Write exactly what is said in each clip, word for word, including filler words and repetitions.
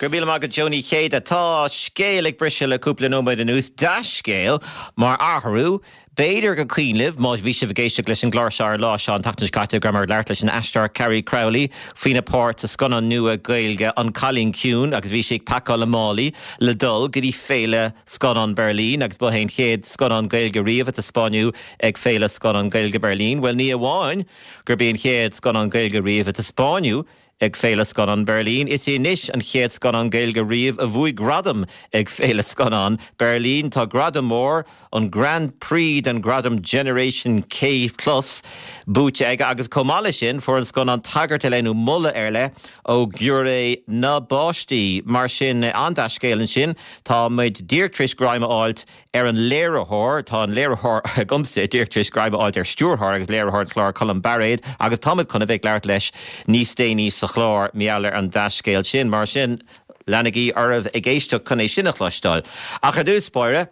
Go raibh míle maith agat Joe Ní Chéide tá scéal ag briseadh le cúpla nóiméad anuas dea-scéal mar athrú B'fhéidir gur cuimhin libh má bhí sibh ag éisteacht leis an gclár seo ar an lá seo an tseachtain seo caite go rabhamar ag labhairt leis an aisteoir Carrie Crowley faoina páirt sa scannán nua Gaeilge An Cailín Ciúin agus bhí sí ag pacáil a málaí le dul go dtí Féile Scannán Berlin agus ba é an chéad scannán Gaeilge riamh a taispeánadh ag Féile Scannán Gaeilge Berlin. Well ní amháin gurb é an chéad scannán Gaeilge riamh a taispeánadh ag Féile Scannán Berlin. Is é anois an chéad scannán Gaeilge riamh a bhuaigh gradam ag Féile Scannán Berlin tá gradam mór an Grand Prix den gradam Generation K Plus buaite aige agus chomh maith leis sin fuair an scannán tagairt ar leith nó moladh ar leith ó ghiúiré na bpáistí mar sin an dea-scéal ansin tá muid díreach tar éis greim a fháilt ar an léiritheoir tá an léiritheoir agamsa díreach tar éis greim a fháilt ar stiúrthóir agus léiritheoir an chláir Colm Bairéad agus táimid chun a bheith ag labhairt leis níos déanaí sa chlár mar gheall ar an dea-scéal sin mar sin leanaigí oraibh ag éisteacht chun é sin a chloisteáil. Ach ar dtús báire,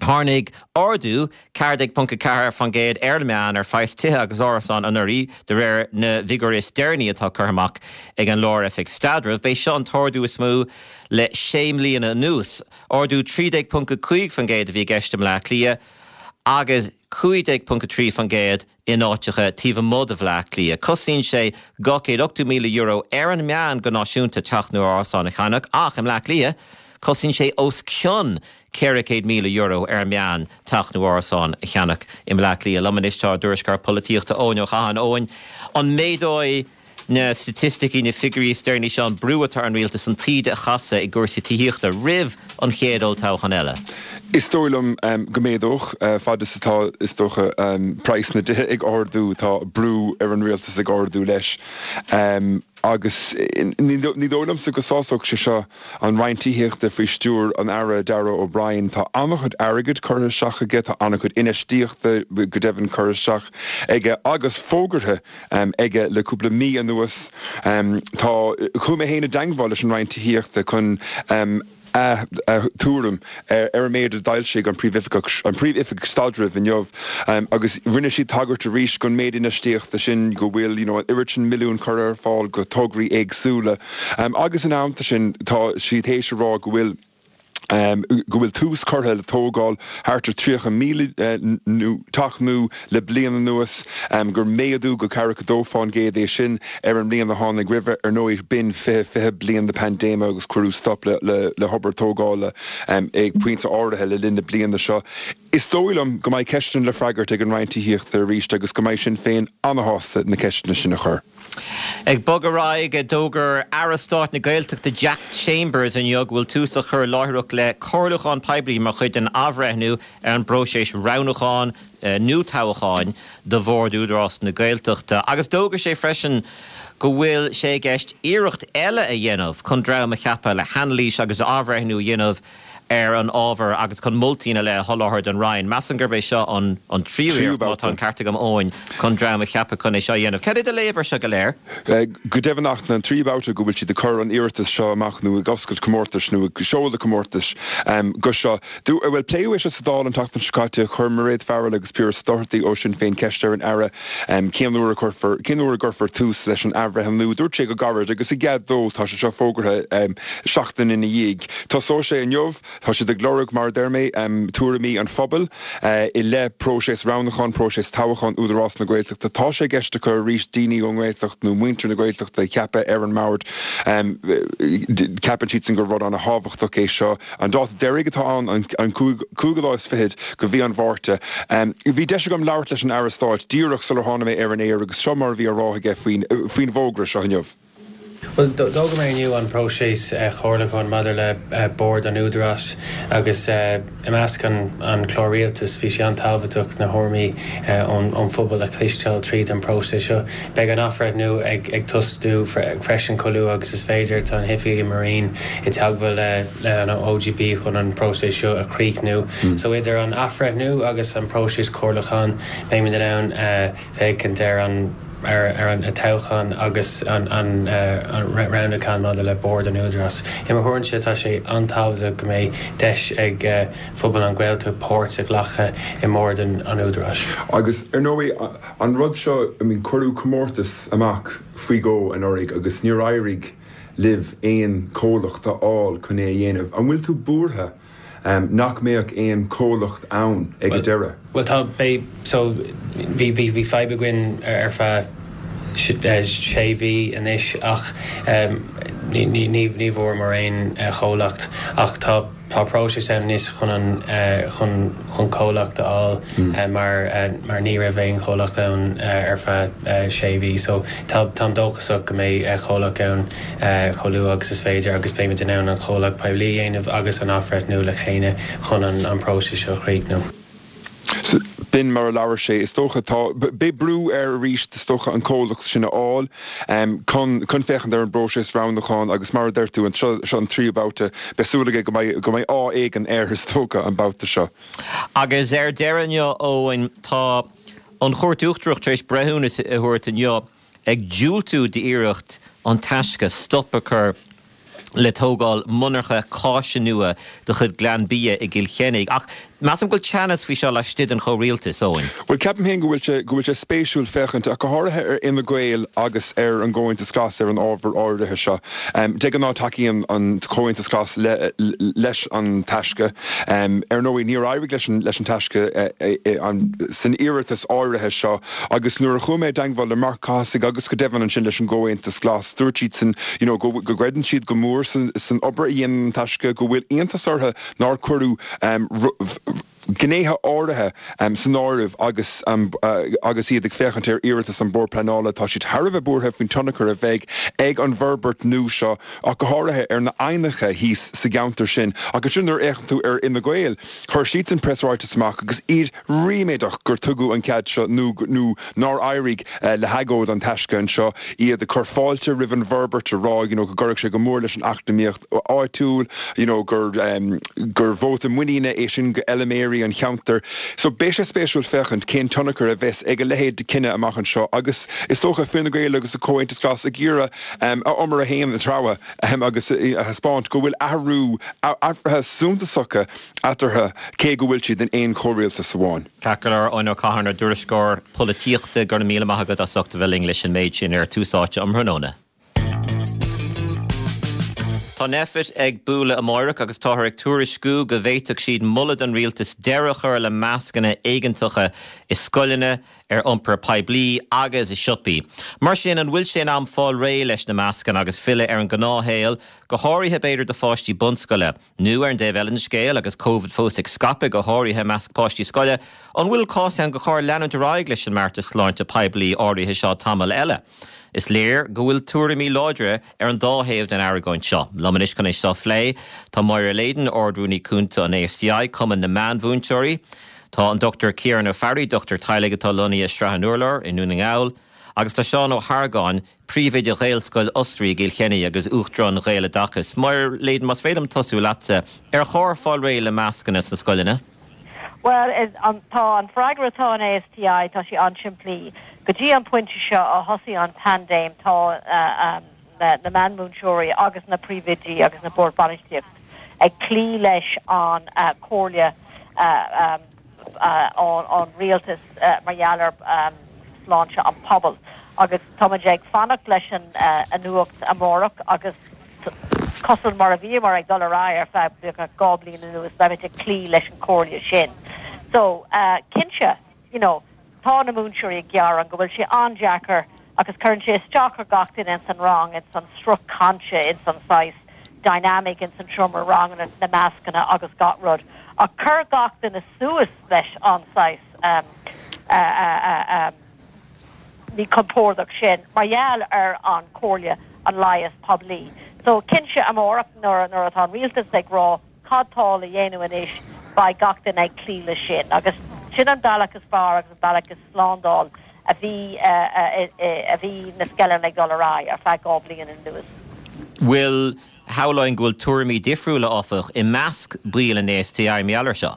Tháinig ardú ceathair déag ponc a ceathair faoin gcéad ar an meán ar phraghas tithe agus árasán anuraidh de réir na bhfigiúirí is deireanaí atá curtha amach ag an Lár-Oifig Staidrimh. B'é seo an t-ardú is mó le sé mbliana anuas. Ardú trí déag ponc a cúig faoin gcéad a bhí i gceist i mBleá Cliath agus cúig déag ponc a trí faoin gcéad in áiteacha taobh amuigh de Bhleá Cliath. Cosnaíonn sé dhá chéad ochtó míle euro ar an meán go náisiúnta teach nó árasán a cheannach ach i mBleá Cliath cosnaíonn sé os cionn ceithre chéad míle euro ar an meán teach nó árasán a cheannach i mBleá Cliath. Liom anois tá ár dtuairisceoir polaitíochta Eoin Ó Catháin. Eoin, an méadóidh na staitisticí, na figiúirí is deireanaí seo an brú atá ar an rialtas an taoide a chasadh i gcúrsaí tithíochta roimh an chéad olltoghchán eile? Is dóigh liom go méadódh, fad is atá, is dócha, praghas na dtithe ag ardú, tá brú ar an rialtas ag ardú leis. Agus ní dóigh liomsa go sásódh sé seo an Roinn Tithíochta faoi stiúir an Aire Darragh O'Brien. Tá an-chuid airgid curtha isteach aige, tá an-chuid infheistíochta go deimhin curtha isteach aige agus fógartha aige le cúpla mí anuas. Tá, chuaigh mé féin i dteangmháil leis an Roinn Tithíochta chun a tuairim ar an méid a d'fhoilsigh an Príomhoifigeach an Príomhoifigeach Staidrimh inniu agus rinne siad tagairt arís don méid infheistíochta sin, go bhfuil you know an oiread sin milliún curtha ar fáil go tograí éagsúla agus ina theannta sin tá siad théis a rá go bhfuil go bhfuil tús curtha le tógáil thart ar tríocha míle teach nua le bliain anuas, gur méadú go ceathracha dó fán gcéad é sin ar an mbliain a tháinig roimhe. Ar ndóigh, b'in fiche fiche bliain na paindéime agus cuireadh stop le hobair tógála ag pointe áirithe le linn na bliana seo. Is dóigh liom go mbeidh ceisteanna le freagairt ag an Roinn Tithíochta arís agus go mbeidh Sinn Féin ana-shásta na ceisteanna sin a chur. Ag bogadh ar aghaidh, d'fhógair Aire Stáit na Gaeltachta Jack Chambers inniu go bhfuil tús á chur láithreach le comhairliúchán poiblí mar chuid den athbhreithniú ar an bpróiseas roghnúcháin nó toghcháin do Bhord Údarás na Gaeltachta agus d'fhógair sé freisin go bhfuil sé i gceist iarracht eile a dhéanamh chun dream a cheapadh le hanailís agus athbhreithniú a dhéanamh ar an ábhar agus chun moltaí ina leith a sholáthar don Roinn. Measaim gurb é seo an tríú iarracht, má tá an ceart agam Eoin, chun dream a cheapadh chun é seo a dhéanamh. Cad é do léamh ar seo go léir? Go deimhin ach an tríú babhta go bhfuil siad ag cur an iarratas seo amach nó ag oscailt comórtais nó ag seoladh comórtais go seo. Bhuel, pléadh é seo sa Dáil an tseachtain seo caite. Chuir Mairéad Farrell agus Piaras Doherty ó Sinn Féin ceist ar an Aire cén uair a chuirfear, cén uair a gcuirfear tús leis an athbhreithniú. Dúirt sé go gairid agus i gcead dó, tá sé seo fógartha seachtain ina dhiaidh. Tosóidh sé inniu. Tá siad ag lorg, mar a deir mé, tuairimí an phobail i leith próiseas roghnúcháin, próiseas toghcháin Údarás na Gaeltachta. Tá sé i gceist acu arís daoine ón nGaeltacht nó muintir na Gaeltachta a cheapadh ar an mbord. Ceapann siadsan gur rud an-thábhachtach é seo. An dáta deiridh atá ann, an cúigiú lá is fichead de mhí an Mhárta. Bhí deis agam labhairt leis an Aire Stáit díreach sular tháinig mé ar an aer agus seo mar a bhí á rá aige faoin bhfógra seo inniu. Bhuel, d'fhógair mé inniu an próiseas comhairliúcháin maidir le Bord an Údaráis agus i measc an chlár rialtais bhí sé an-tábhachtach na thuairimí ón phobal a chloisteáil tríd an bpróiseas seo. Beidh an athbhreithniú ag tosú freisin chomh luath agus is féidir. Tá na hoifigigh i mo Roinn i dteagmháil le an OGP chun an próiseas seo a chríochnú. So idir an athbhreithniú agus an próiseas comhairliúcháin beimid in ann féachaint ar an ar an toghchán agus an an roghnúchán maidir le Bord an Údaráis. I mo thuairimse tá sé an-tábhachtach go mbeidh deis ag phobal an Ghaeltacht páirt a ghlacadh i mbord an Údaráis. Agus ar ndóigh an rud seo I mean cuireadh comórtas amach faoi dhó anuraidh agus níor éirigh libh aon chomhlacht a fháil chun é a dhéanamh. An bhfuil tú buartha nach mbeadh aon chomhlacht ann ag an deireadh? Well tá bé so bhí bhí bhí fadhb againn ar feadh sé mhí anois ach ní ní ní ní bhfuaireamar aon chomhlacht ach tá tá próiseas ann anois chun an chun chun comhlacht a fháil mar mar ní raibh aon chomhlacht ann ar feadh sé mhí so tá táim dóchasach go mbeidh comhlacht ann chomh luath agus is féidir agus beimid in ann an comhlacht poiblí a dhéanamh agus an athbhreithniú le chéile chun an an próiseas seo a chríochnú. B'in mar a labhair sé is dócha tá beidh brú air arís is dócha an comhlacht sin a fháil chun chun féachaint ar an bpróiseas roghnúcháin agus mar a deir tú an seo an tríú babhta beidh súil aige go mbeidh go mbeidh ádh éigin air is dócha an babhta seo. Agus ar deireadh inniu Eoin tá an Chúirt Uachtarach tar éis breithiúnas a thabhairt inniu ag diúltú d'iarracht an Taisce stop a chur le tógáil monarcha cáise nua de chuid Glanbia i gCill Chainnigh. Ach measaim go bhfuil teannas faoi seo laistigh den chomhrialtas Eoin. Well ceapaim féin go bhfuil sé go bhfuil sé spéisiúil féachaint ach go háirithe ar Fhine Gael agus ar an gComhaontas Glas ar an ábhar áirithe seo. Um, de ghnáth tacaíonn an Comhaontas Glas le, leis an Taisce. Um, ar ndóigh níor éirigh leis an, leis an Taisce uh, uh, an, san iarratas áirithe seo agus nuair a chuaigh mé i dteagmháil le Marc Cathasaigh agus go deimhin ansin leis an gComhaontas Glas dúirt siad san you know, go, go gcreideann siad go mór san, san obair a dhéanann an Taisce go bhfuil iontas orthu nár cuireadh um, gnéithe áirithe um, san áireamh agus um, uh, agus iad ag féachaint ar iarratas an Bord Pleanála tá siad thar a bheith buartha faoin tionchar a bheidh ag an bhforbairt nua seo ach go háirithe ar na haibhneacha thíos sa gceantar sin agus sin nuair a fhéachann tú ar Fhine Gael chuir siad an preasráiteas amach agus iad ríméadach gur tugadh an cead seo nó nó nár éirigh uh, le hagóid an Taisce anseo iad ag cur fáilte roimh an bhforbairt a rá you know, go gcuirfeadh sé go mór leis an eacnamaíocht áitiúil you know, gur um, gur vóta muiníne é sin go fheilméaraí an cheantair. So beidh sé spéisiúil féachaint cén tionchar a bheas ag a leithéid de chinneadh amach anseo agus is dócha Fine Gael agus a Comhaontas Glas ag iarraidh um, a umar a haon a treabhadh um, agus a thaispeáint go bhfuil athrú athruithe suntasacha eatarthu cé go bhfuil siad in aon chomhrialtas amháin. Ceart Eoin Ó Catháin ár dtuairisceoir polaitíochta go raibh míle maith agat as ucht a bheith linn leis an méid sin ar Tús Áite um thráthnóna. Tá Nphet ag bualadh amárach agus táthar ag tuairisciú go bhféadfadh siad moladh don rialtas deireadh a chur le mascanna éigeantacha i scoileanna ar iompar poiblí agus i siopaí. Mar sin an bhfuil sé in am fáil réidh leis na mascanna agus filleadh ar an ngnáthshaol, go háirithe b'fhéidir do pháistí bunscoile. Nó ar an dtaobh eile den scéal agus Covid fós ag scaipeadh go háirithe i measc páistí scoile, an bhfuil cás ann gur chóir leanúint ar aghaidh leis an mbeartas sláinte poiblí áirithe seo tamall eile. Is léir go bhfuil tuairimí láidre ar an dá thaobh den argóint seo. Liom anois chun é seo a phlé tá Máire Leyden Ard-Rúnaí Cúnta an ASTI Cumann na Meánmhúinteoirí, Tá an Dr Ciaran Ó Fearraigh, dochtúir teaghlaigh atá lonnaithe i Srath an Urláir i nDún na nGall, agus tá Seán Ó hArgáin, príomhoide Ghaelscoil Osraí i gCill Chainnigh agus Uachtarán Ghaeloideachas. Máire Leyden más féidir liom tosú leatsa ar chóir fáil réidh le mascanna sna scoileanna? Well an tá an freagra atá an ASTI tá sé an-simplí. Go dtí an pointe seo a thosaigh an paindéim tá uh, um, na, na meánmhúinteoirí agus na príomhoidí agus na boird bainistíocht ag cloí leis an uh, chomhairle uh, um, uh, an, an rialtas uh, mar gheall ar um, sláinte an pobal. Agus tá ag fanacht leis an uh, an nuacht amárach agus cosúil mar a bhí mar ag dul ar aghaidh ar feadh dhá bhliain anuas beimid ag cloí leis an chomhairle sin. So uh, cinnte, you know, tá na múinteoirí ag gearán go bhfuil sé an-deacair agus cuireann sé isteach ar gach duine in san rang in san sruth cainte in san saghas dynamic in san seomra rang na, na mascanna agus gach rud. A chur gach duine suas leis an saghas um, uh, uh, uh, um, ní compordach sin, mar gheall ar an chomhairle an leigheas poiblí. So cinnte amárach nuair nuair atá an rialtas ag rá cad tá le déanamh anois beidh gach duine ag cloí leis sin. agus sin an bealach is fearr agus an bealach is slándáil a bhí a bhí na scoileanna ag dul ar aghaidh ar feadh dhá bhliain anuas. Bhfuil shamhlóinn go bhfuil tuairimí difriúla áfach i measc baill an ASTI mar gheall air seo.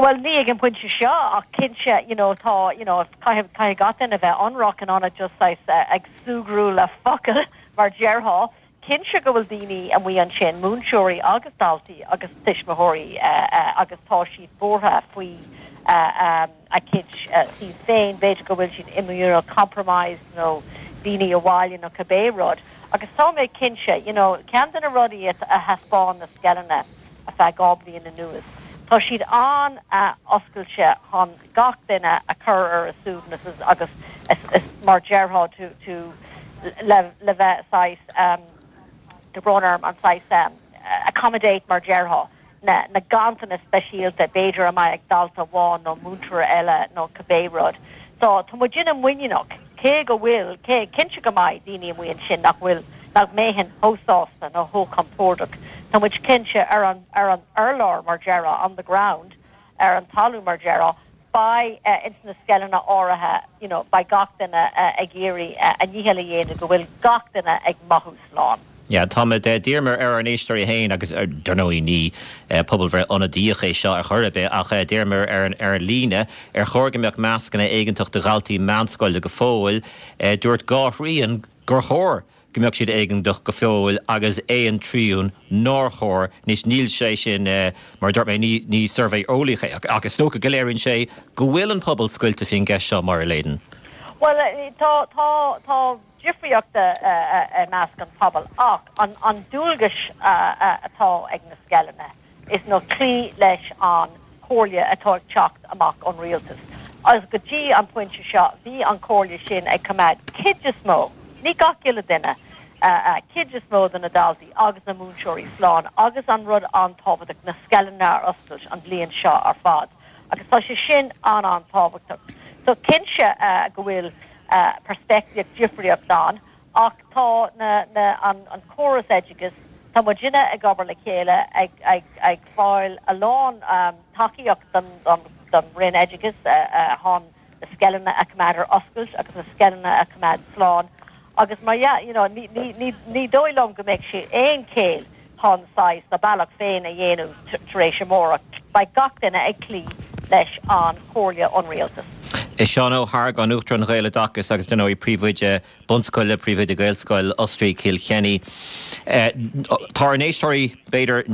Bhuel, ní ag an bpointe seo, ach cinnte, you know, tá, you know, caithfidh, caithfidh gach duine a bheith ionraic in ionad just saghas ag súgradh le focail, mar déarfá. Cinnte go bhfuil daoine amuigh ansin, múinteoirí agus daltaí agus tuismitheoirí, agus tá siad buartha faoi a gcuid suíomh féin, b'fhéidir go bhfuil siad immunocompromised nó daoine abhaile nó cibé rud. Agus tá mé cinnte, you know, ceann de na rudaí a thaispeáin na scoileanna, ar feadh dhá bliain anuas. Tá siad an-oscailte chun gach duine a chur ar a suaimhneas agus is mar déarfá to to le le bheith saghas tá brón orm an saghas accommodate mar déarfá na na ganntanais speisialta b'fhéidir a mbeidh ag dalta amháin nó múinteoir eile nó cibé rud. So tá muidinne muiníneach cé go bhfuil, cé, cinnte go mbeidh daoine amuigh ansin nach bhfuil, nach mbeidh chomh sásta nó chomh compordach. Tá muid cinnte ar an, ar an urlár mar déarfá, on the ground, ar an talamh mar déarfá, beidh ins na scoileanna áirithe, you know, beidh gach duine ag iarraidh a ndícheall a dhéanamh go bhfuil gach duine ag mothú slán. Yeah, táimid, d'iarramar ar ár n-éisteoirí féin, agus dar ndóigh ní pobalbhreith ionadaíoch é seo ar chor ar bith, ach d'iarramar ar an ar líne ar chóir go mbeadh mascanna éigeantach do dhaltaí meánscoile go fóill. Dúirt dhá thrian gur chóir go mbeadh siad éigeantach go fóill agus aon trian nár chóir. Anois níl sé sin, mar a dúirt mé, ní ní suirbhé eolaíoch é, ach is dócha go léiríonn sé go bhfuil an pobal scoilte faoin gceist seo, Máire Leyden. Bhuel, tá tá tá difríocht i measc an phobail ach an dualgas atá ag na scoileanna is ná cloí leis an chomhairle atá ag teacht amach ón rialtas. Agus go dtí an pointe seo bhí an chomhairle sin ag coimeád cuid is mó, ní gach uile duine, cuid is mó de na daltaí agus na múinteoirí slán agus an rud an-tábhachtach, na scoileanna ar oscailt an bhliain seo ar fad. Agus tá sé sin an-an-tábhachtach. So cinnte go bhfuil peirspictíocht difríocht ann ach tá na, na, an, an córas oideachais, tá muidinne ag obair le chéile ag, ag, ag fáil a lán tacaíocht don, don, don Roinn Oideachais chun na scoileanna a choimeád ar oscailt agus na scoileanna a choimeád slán agus mar dhea, you know, ní, ní, ní, ní dóigh liom go mbeidh sé aon chéill chun saghas a bealach féin a dhéanamh tar éis amárach. Beidh gach duine ag cloí leis an chomhairle ón rialtas. Seán Ó hArgáin, Uachtarán Ghaeloideachas agus dar ndóigh Príomhoide Bunscoile, Príomhoide Gaelscoil Osraí Chill Chainnigh. Tá ár n-éisteoirí, b'fhéidir,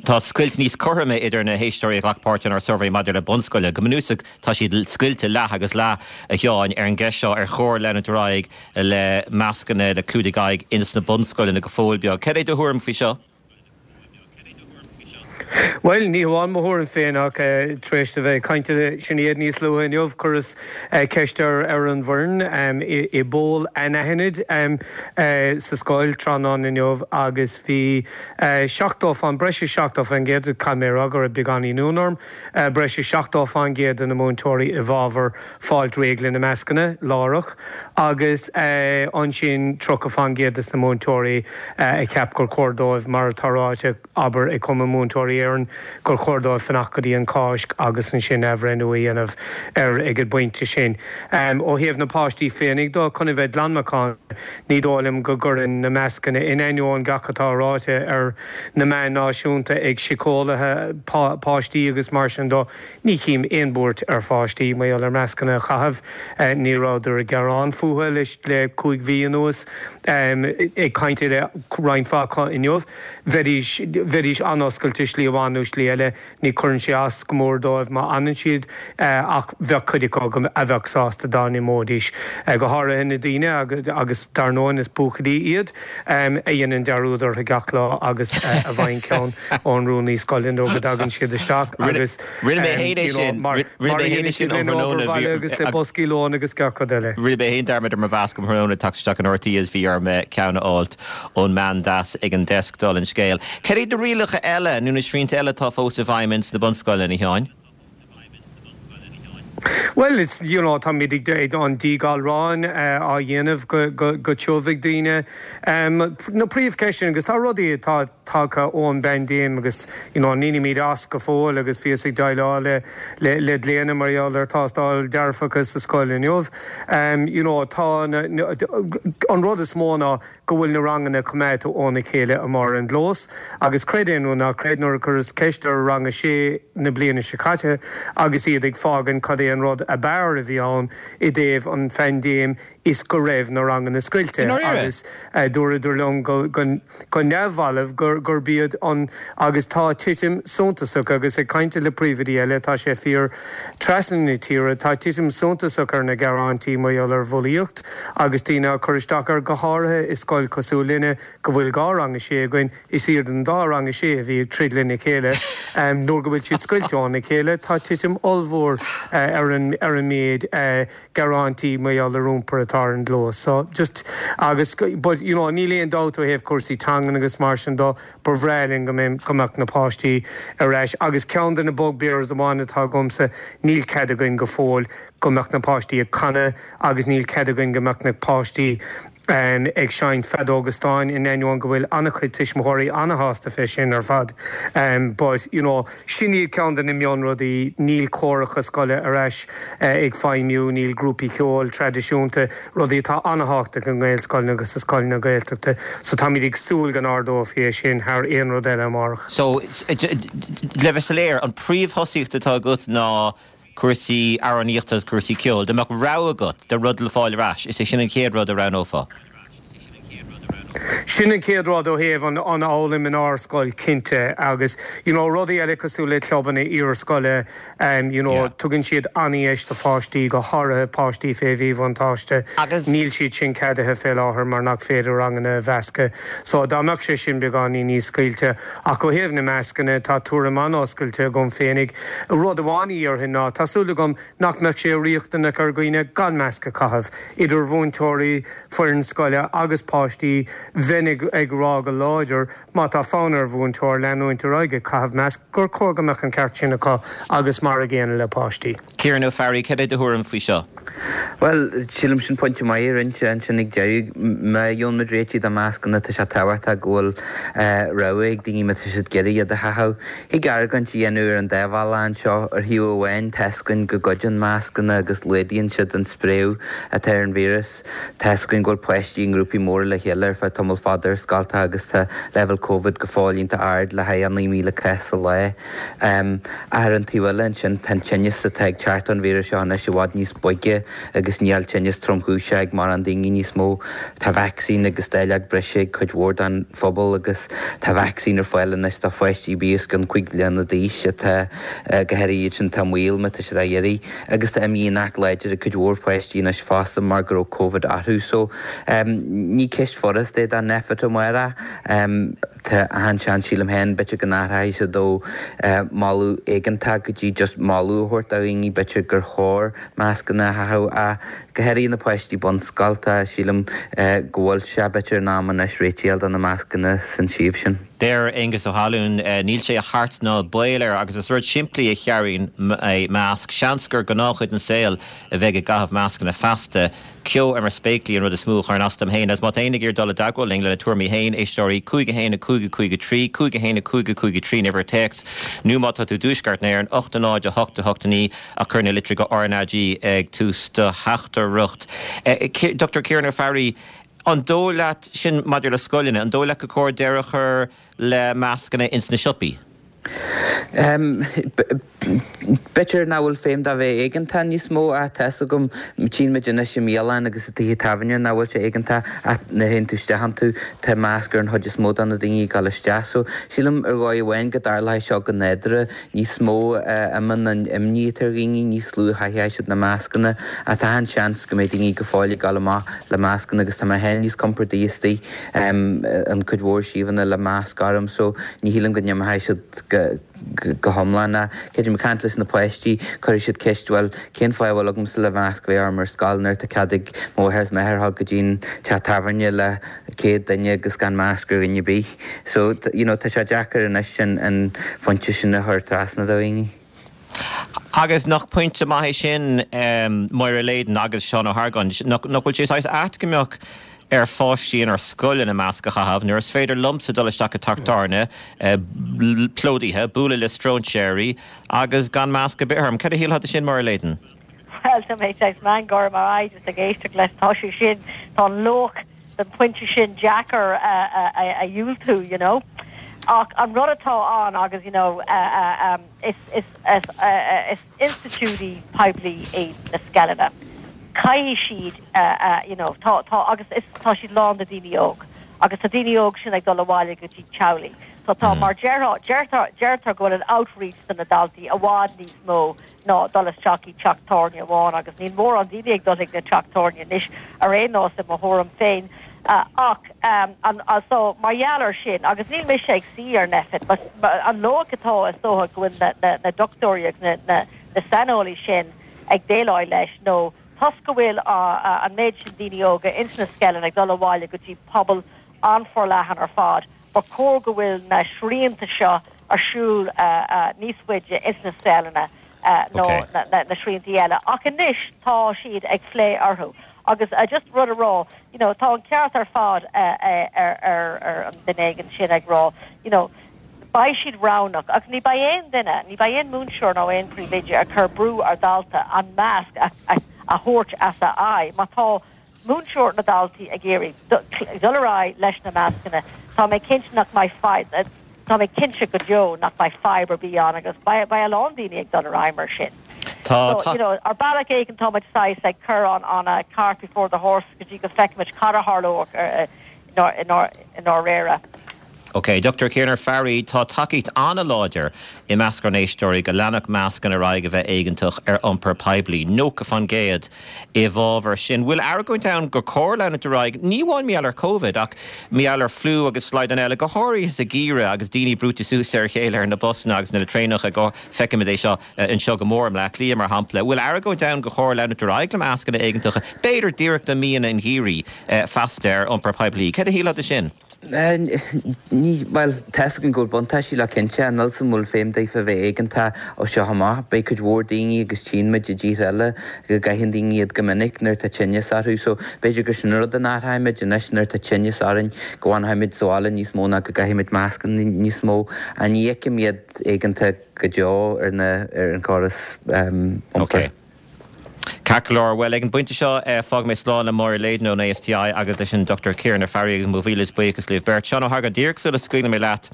tá scoilt níos cothroime idir na héisteoirí a ghlac páirt inár suirbhé maidir le bunscoile. Go bunúsach tá siad scoilte leath agus leath, a Sheáin, ar an gceist seo ar chóir leanúint ar aghaidh le mascanna, le clúdaigh aghaidh ins na bunscoileanna go fóill beag. Cad é do thuairim faoi seo? Bhuel, ní hamháin mo thuairim féin ach tar éis a bheith ag caint le Sinéad níos luaithe inniu, chuireas ceist ar ar an bhfoireann i bpoll anaithnid sa scoil tráthnóna inniu agus bhí seachtó fán, breis is seachtó faoin gcéad, caithfidh mé a rá go raibh beagáinín ionadh orm, breis is seachtó fán gcéad de na múinteoirí i bhfabhar fáilt réidh le na mascanna láithreach agus ansin tríocha fán gcéad de na múinteoirí a cheap gur chóir dóibh, mar atá ráite, abair, ag Cumann Múinteoirí Éireann, gur chóir dóibh fanacht go dtí an Cháisc agus ansin athbhreithniú a dhéanamh air ag an bpointe sin. Ó thaobh na páistí féinig dó, chun a bheith glan macánta, ní dóigh liom go gcuireann na mascanna, in ainneoin gach atá ráite ar na meáin náisiúnta ag síceolaithe páistí agus mar sin dó, ní chím aon bhuairt ar pháistí mar gheall ar mascanna a chaitheamh. Ní rabhadar ag gearán fúthu le cúig mhí anuas. Ag caint le roinnt mhaith acu inniu, bheidís, bheidís an-oscailte slí amháin nó slí eile. Ní chuireann sé as go mór dóibh má fhanann siad ach bheadh cuid acu a bheadh sásta dá n-imeoidís. Go háirithe na daoine, agus dar ndóigh is buachaillí iad, a dhéanann dearúd orthu gach lá agus a bhfaigheann ceann ón rúnaí scoile nuair go dtagann siad isteach agus Rinne mé féin é sin. mar Rinne a mé féin é dhéanann sin siad um lena thráthnóna. obair bhaile agus le boscaí lóin agus gach rud eile. Rinne mé féin dearmad ar mo mhasc um thráthnóna ag teacht isteach in RTÉ is bhí orm ceann a fháilt ón mbean deas ag an deasc dála an scéil. Cad iad na rialacha eile nó na srianta eile atá fós i bhfeidhm ins na bunscoileanna, a Sheáin? Well, it's you know táimid ag an díghalrán á dhéanamh go, go, go tiubh ag daoine. Um, na príomhcheisteanna agus tá rudaí atá tagtha ón bpaindéim agus you know, nílimid as go fóill agus bhíos ag déileáil le, le, le glaonna mar gheall ar tástáil dearfach sa scoil inniu. Um, you know, tá na, na, an rud is mó ná go bhfuil na ranganna coimeádta óna chéile amuigh ar an gclós, agus creid é nó ná creid nuair a chuireas ceist ar rang a sé na bliana seo caite agus iad ag fágaint cad é an rud ab fhearr a bhí ann i dtaobh an phaindéim is go raibh na ranganna scoilte agus uh, dúradar liom go, go, go neamhbhalbh gur gur b'iad an agus tá titim suntasach agus ag caint le príomhoidí eile tá sé fíor trasna na tíre tá titim suntasach ar na gearáintí mar gheall ar bhulaíocht agus daoine cur isteach ar go háirithe i scoil cosúil linne go bhfuil dhá rang a sé againn is iad an dá rang a sé a bhí ag troid lena chéile um, nuair go bhfuil siad scoilte óna chéile tá titim ollmhór uh, ar an ar an méid uh, gearáintí mar gheall ar iompar atá ar an gclós. So just agus but you know níl aon dabht ó thaobh cúrsaí teangan agus mar sin de ba bhreá linn go go mbeadh na páistí ar ais agus ceann de na bugbears amháin atá agamsa níl cead againn go fóill go mbeadh na páistí ag canadh agus níl cead againn go mbeadh na páistí um, ag seinnt feadóga stáin in ainneoin go bhfuil an-chuid tuismitheoirí an-shásta fé sin ar fad. Um, but you know, sin iad ceann de na mionrudaí níl córacha scoile ar ais uh, ag feidhmiú níl grúpaí ceoil traidisiúnta rudaí atá an-tábhachtach i nGaelscoileanna agus sa scoileanna Gaeltachta, so táimid ag súil go n-ardófaí é sin thar aon rud eile amárach. So le bheith soiléir an príomhthosaíocht atá agat ná cúrsaí amhránaíochta agus cúrsaí ceoil, Dá mbeadh rogha agat de rud le fáil ar ais, is é sin an chéad rud a roghnófá. Sin an chéad rud ó thaobh an an fhoghlaim in ár scoil cinnte agus you know, rudaí eile cosúil le clubanna iarscoile um, you know, yeah. tugann siad an-deis do pháistí go háirithe páistí fé mhíbhuntáiste Agus níl siad sin ceadaithe fé láthair mar nach féidir ranganna a mheascadh. So dá mbeadh sé sin beagáinín níos scaoilte ach ó thaobh na mascanna tá tuairim an-oscailte agam féinig rud amháin a dhéarfainn ná tá súil agam nach mbeadh sé riachtanach ar dhaoine gan masc a chaitheamh idir mhúinteoirí foireann scoile agus páistí bheinn ag ag rá go láidir má tá fonn ar mhúinteoir leanúint ar aghaidh ag caitheamh masc gur chóir go mbeadh an ceart sin acu agus mar an gcéanna le páistí. Ciarán Ó Fearraigh cad é do thuairim faoi seo. Well sílim sin pointe maith rinne ansin ag deireadh má gheobhann muid réiteach do mascanna tá sé tábhachtach go bhfuil rogha ag daoine má tá siad ag iarraidh iad a chaitheamh. Thig argóint a dhéanamh ar an dá bhealach anseo ar thaobh amháin tá a fhios againn go gcuidíonn mascanna agus laghdaíonn siad an spréadh atá ar an víreas. Tá a fhios againn go bhfuil páistí i ngrúpaí móra le chéile ar feadh tamall fada ar scolta agus tá leibhéal COVID go fóill iontach ard le haghaidh naoi míle cás sa lá. Um, ar an taobh eile ansin tá an tinneas atá ag teacht ón víreas seo anois i bhfad níos boige agus níl tinneas tromchúiseach ag mórán daoine níos mó. Tá vacsaín agus dáileog breise ag cuid mhór den phobal agus tá vacsaín ar fáil anois do pháistí os cionn cúig bliana d'aois atá go háirithe iad sin atá i mbaol má tá siad á iarraidh agus tá imdhíonacht láidir ag cuid mhór páistí anois fosta mar go raibh COVID orthu so um, ní ceist fhurasta é don Nphet amárach um, Tá an-seans sílim féin b'fhéidir go n-athróidh siad ó uh, moladh éigeantach go dtí just moladh a thabhairt do dhaoine b'fhéidir gur chóir mascanna a chaitheamh a go háirithe na páistí bunscoilte sílim uh, go bhfuil sé b'fhéidir in am anois réiteach do na mascanna san suíomh sin. Deir Aengus Ó hAlún níl sé a chart ná baol air agus is rud simplí a chearraíonn masc seans gur gnáthchuid den saol a bheidh i gcaitheamh mascanna feasta ceo ar mar spéaclaí an rud is mó a chuireann as dom féin as má tá éinne ag iarraidh dul i dteagmháil linn lena tuairimí féin éisteoirí cúig a haon a cúig a cúig a trí cúig a haon a cúig a cúig a trí uimhir téacs nó má tá tú i dtuaisceart na hÉireann ocht a náid a hocht a hocht a naoi ach cuir na litreacha RnaG ag tús do theachtaireacht. Dr Ciarán Ó Fearraigh, an dóigh leat sin maidir le scoileanna, an dóigh leat gur chóir deireadh a chur le mascanna ins na siopaí? Um, B'fhéidir nach bhfuil feidhm dá bheith éigeantach níos mó ach tá a fhios agam tchíonn muid anois i mbialanna agus i dtithe tábhairne nach bhfuil sé éigeantach ach nuair a théann tú isteach iontu tá masc ar an chuid is mó de na daoine ag dul isteach. So sílim ar dhóigh amháin go dtarlóidh seo go nádúrtha níos mó imíonn an imní atá ar dhaoine níos lú a chaithfidh siad na mascanna ach tá an seans go mbeidh daoine go fóill ag dul amach le mascanna agus tá mé féin níos compordaí istigh um, an cuid mhór suíomhanna le masc orm so ní shílim go n-imeoidh siad go go hiomlán Creidim ag caint leis na páistí chuir siad ceist well cén fáth a bhfuil agamsa le masc bheith orm ar scoil nuair tá cead ag mo mháthair is m'athair go dtí an teach tábhairne le céad duine agus gan masc ar dhuine ar bith. So you know, tá sé deacair anois sin an phointe sin a chur trasna do dhaoine. Agus nach pointe maith é sin Máire Leyden agus Seán Ó hArgáin, nach bhfuil sé saghas ait go mbeadh ar pháistí inár scoileanna masc a chaitheamh nuair is féidir liomsa dul isteach i dteach tábhairne plódaithe, bualadh le stróinséirí agus gan masc ar bith orm. Cad a shílfeá de sin, Máire Leyden? Bhuel, tá mé saghas meangadh orm ar aghaidh just ag éisteacht leis. Tá sé sin, tá an loighic den phointe sin deacair a dhiúltú, you know. Ach an rud atá ann agus, you know, is, is, is institiúidí poiblí iad na scoileanna. Caithfidh siad, you know, tá, tá, agus is, tá siad lán de daoine óg. Agus tá daoine óg sin ag dul abhaile go dtí teaghlaigh. So tá, mar deirtear, deirtear, deirtear go bhfuil an outreach do na daltaí i bhfad níos mó ná dul isteach i teach tábhairne amháin agus níl mórán daoine ag dul chuig na teach tábhairne anois ar aon nós i mo thuairim féin. Ach an so mar gheall ar sin, agus níl mise ag suí ar Nphet, but an loighic atá is dócha go bhfuil na na na dochtúirí agus na na na saineolaí sin ag déileáil leis nó toisc go bhfuil an méid sin daoine óga ins na scoileanna ag dul abhaile go dtí pobal an-fhorleathan ar fad, ba chóir go bhfuil na srianta seo ar siúl níos faide ins na scoileanna ná na sriantaí eile. Ach anois tá siad ag plé orthu. Agus just rud a rá, you know, tá an ceart ar fad ar ar an duine éigin sin ag rá, you know, beidh siad roghnach agus ní beidh aon duine, ní beidh aon múinteoir nó aon príomhoide ag cur brú ar dhalta an masc a thabhairt as a aghaidh. Má tá múinteoir na daltaí ag iarraidh dul ar aghaidh leis na mascanna, tá mé cinnte nach mbeidh fadhb, tá mé cinnte go deo nach mbeidh fadhb ar bith ann agus beidh a lán daoine ag dul ar aghaidh mar sin. Tá, So, you know, ar bealach éigin tá muid saghas ag cur an an cart before the horse go dtí go bhfeicfimid cad a tharlóidh i ndáiríre. Ok, Dr Ciaran Farry, tá tacaíocht an-láidir i measc ár n-éisteoirí go leanfadh mascanna ar aghaidh a bheith éigeantach ar iompar poiblí, nócha faoin gcéad i bhfabhar sin. Bhfuil argóint ann gur chóir leanúint ar aghaidh, ní amháin mar gheall ar Covid ach mar gheall ar fliú agus slaghdán eile, go háirithe sa gheimhreadh agus daoine brúite suas ar a chéile ar na busanna agus na traenacha go feicimid é seo anseo go mór i mBleá Cliath mar shampla. Bhfuil argóint ann gur chóir leanúint ar aghaidh le mascanna éigeantacha, b'fhéidir díreach do mhíonna an gheimhridh feasta ar iompar poiblí. Cad a shílfeá de sin? Ní, bhuel, tá 'fhios againn go bhfuil buntáistí le cinnte, níl 'fhios a'm an bhfuil feidhm daofa a bheith éigeantach ó seo amach. Beidh cuid mhór daoine agus tchíonn muid i dtíortha eile go gcaitheann daoine iad go minic nuair atá tinneas orthu so b'fhéidir gur sin rud a n-athróimid anois nuair atá tinneas orainn go bhfanfaimid sa bhaile níos mó ná go gcaithfimid mascanna níos mó. Ní fheicim iad éigeantach go deo ar na ar an chóras iompair. Ceart go leor, bhuel, ag an bpointe seo, fágfaidh mé slán le Máire Leyden ón ASTI agus leis an Dr Ciaran Farry agus mo mhíle buíochas libh beirt. Seán Ó hArgáin, díreach sula scaoilfidh mé leat,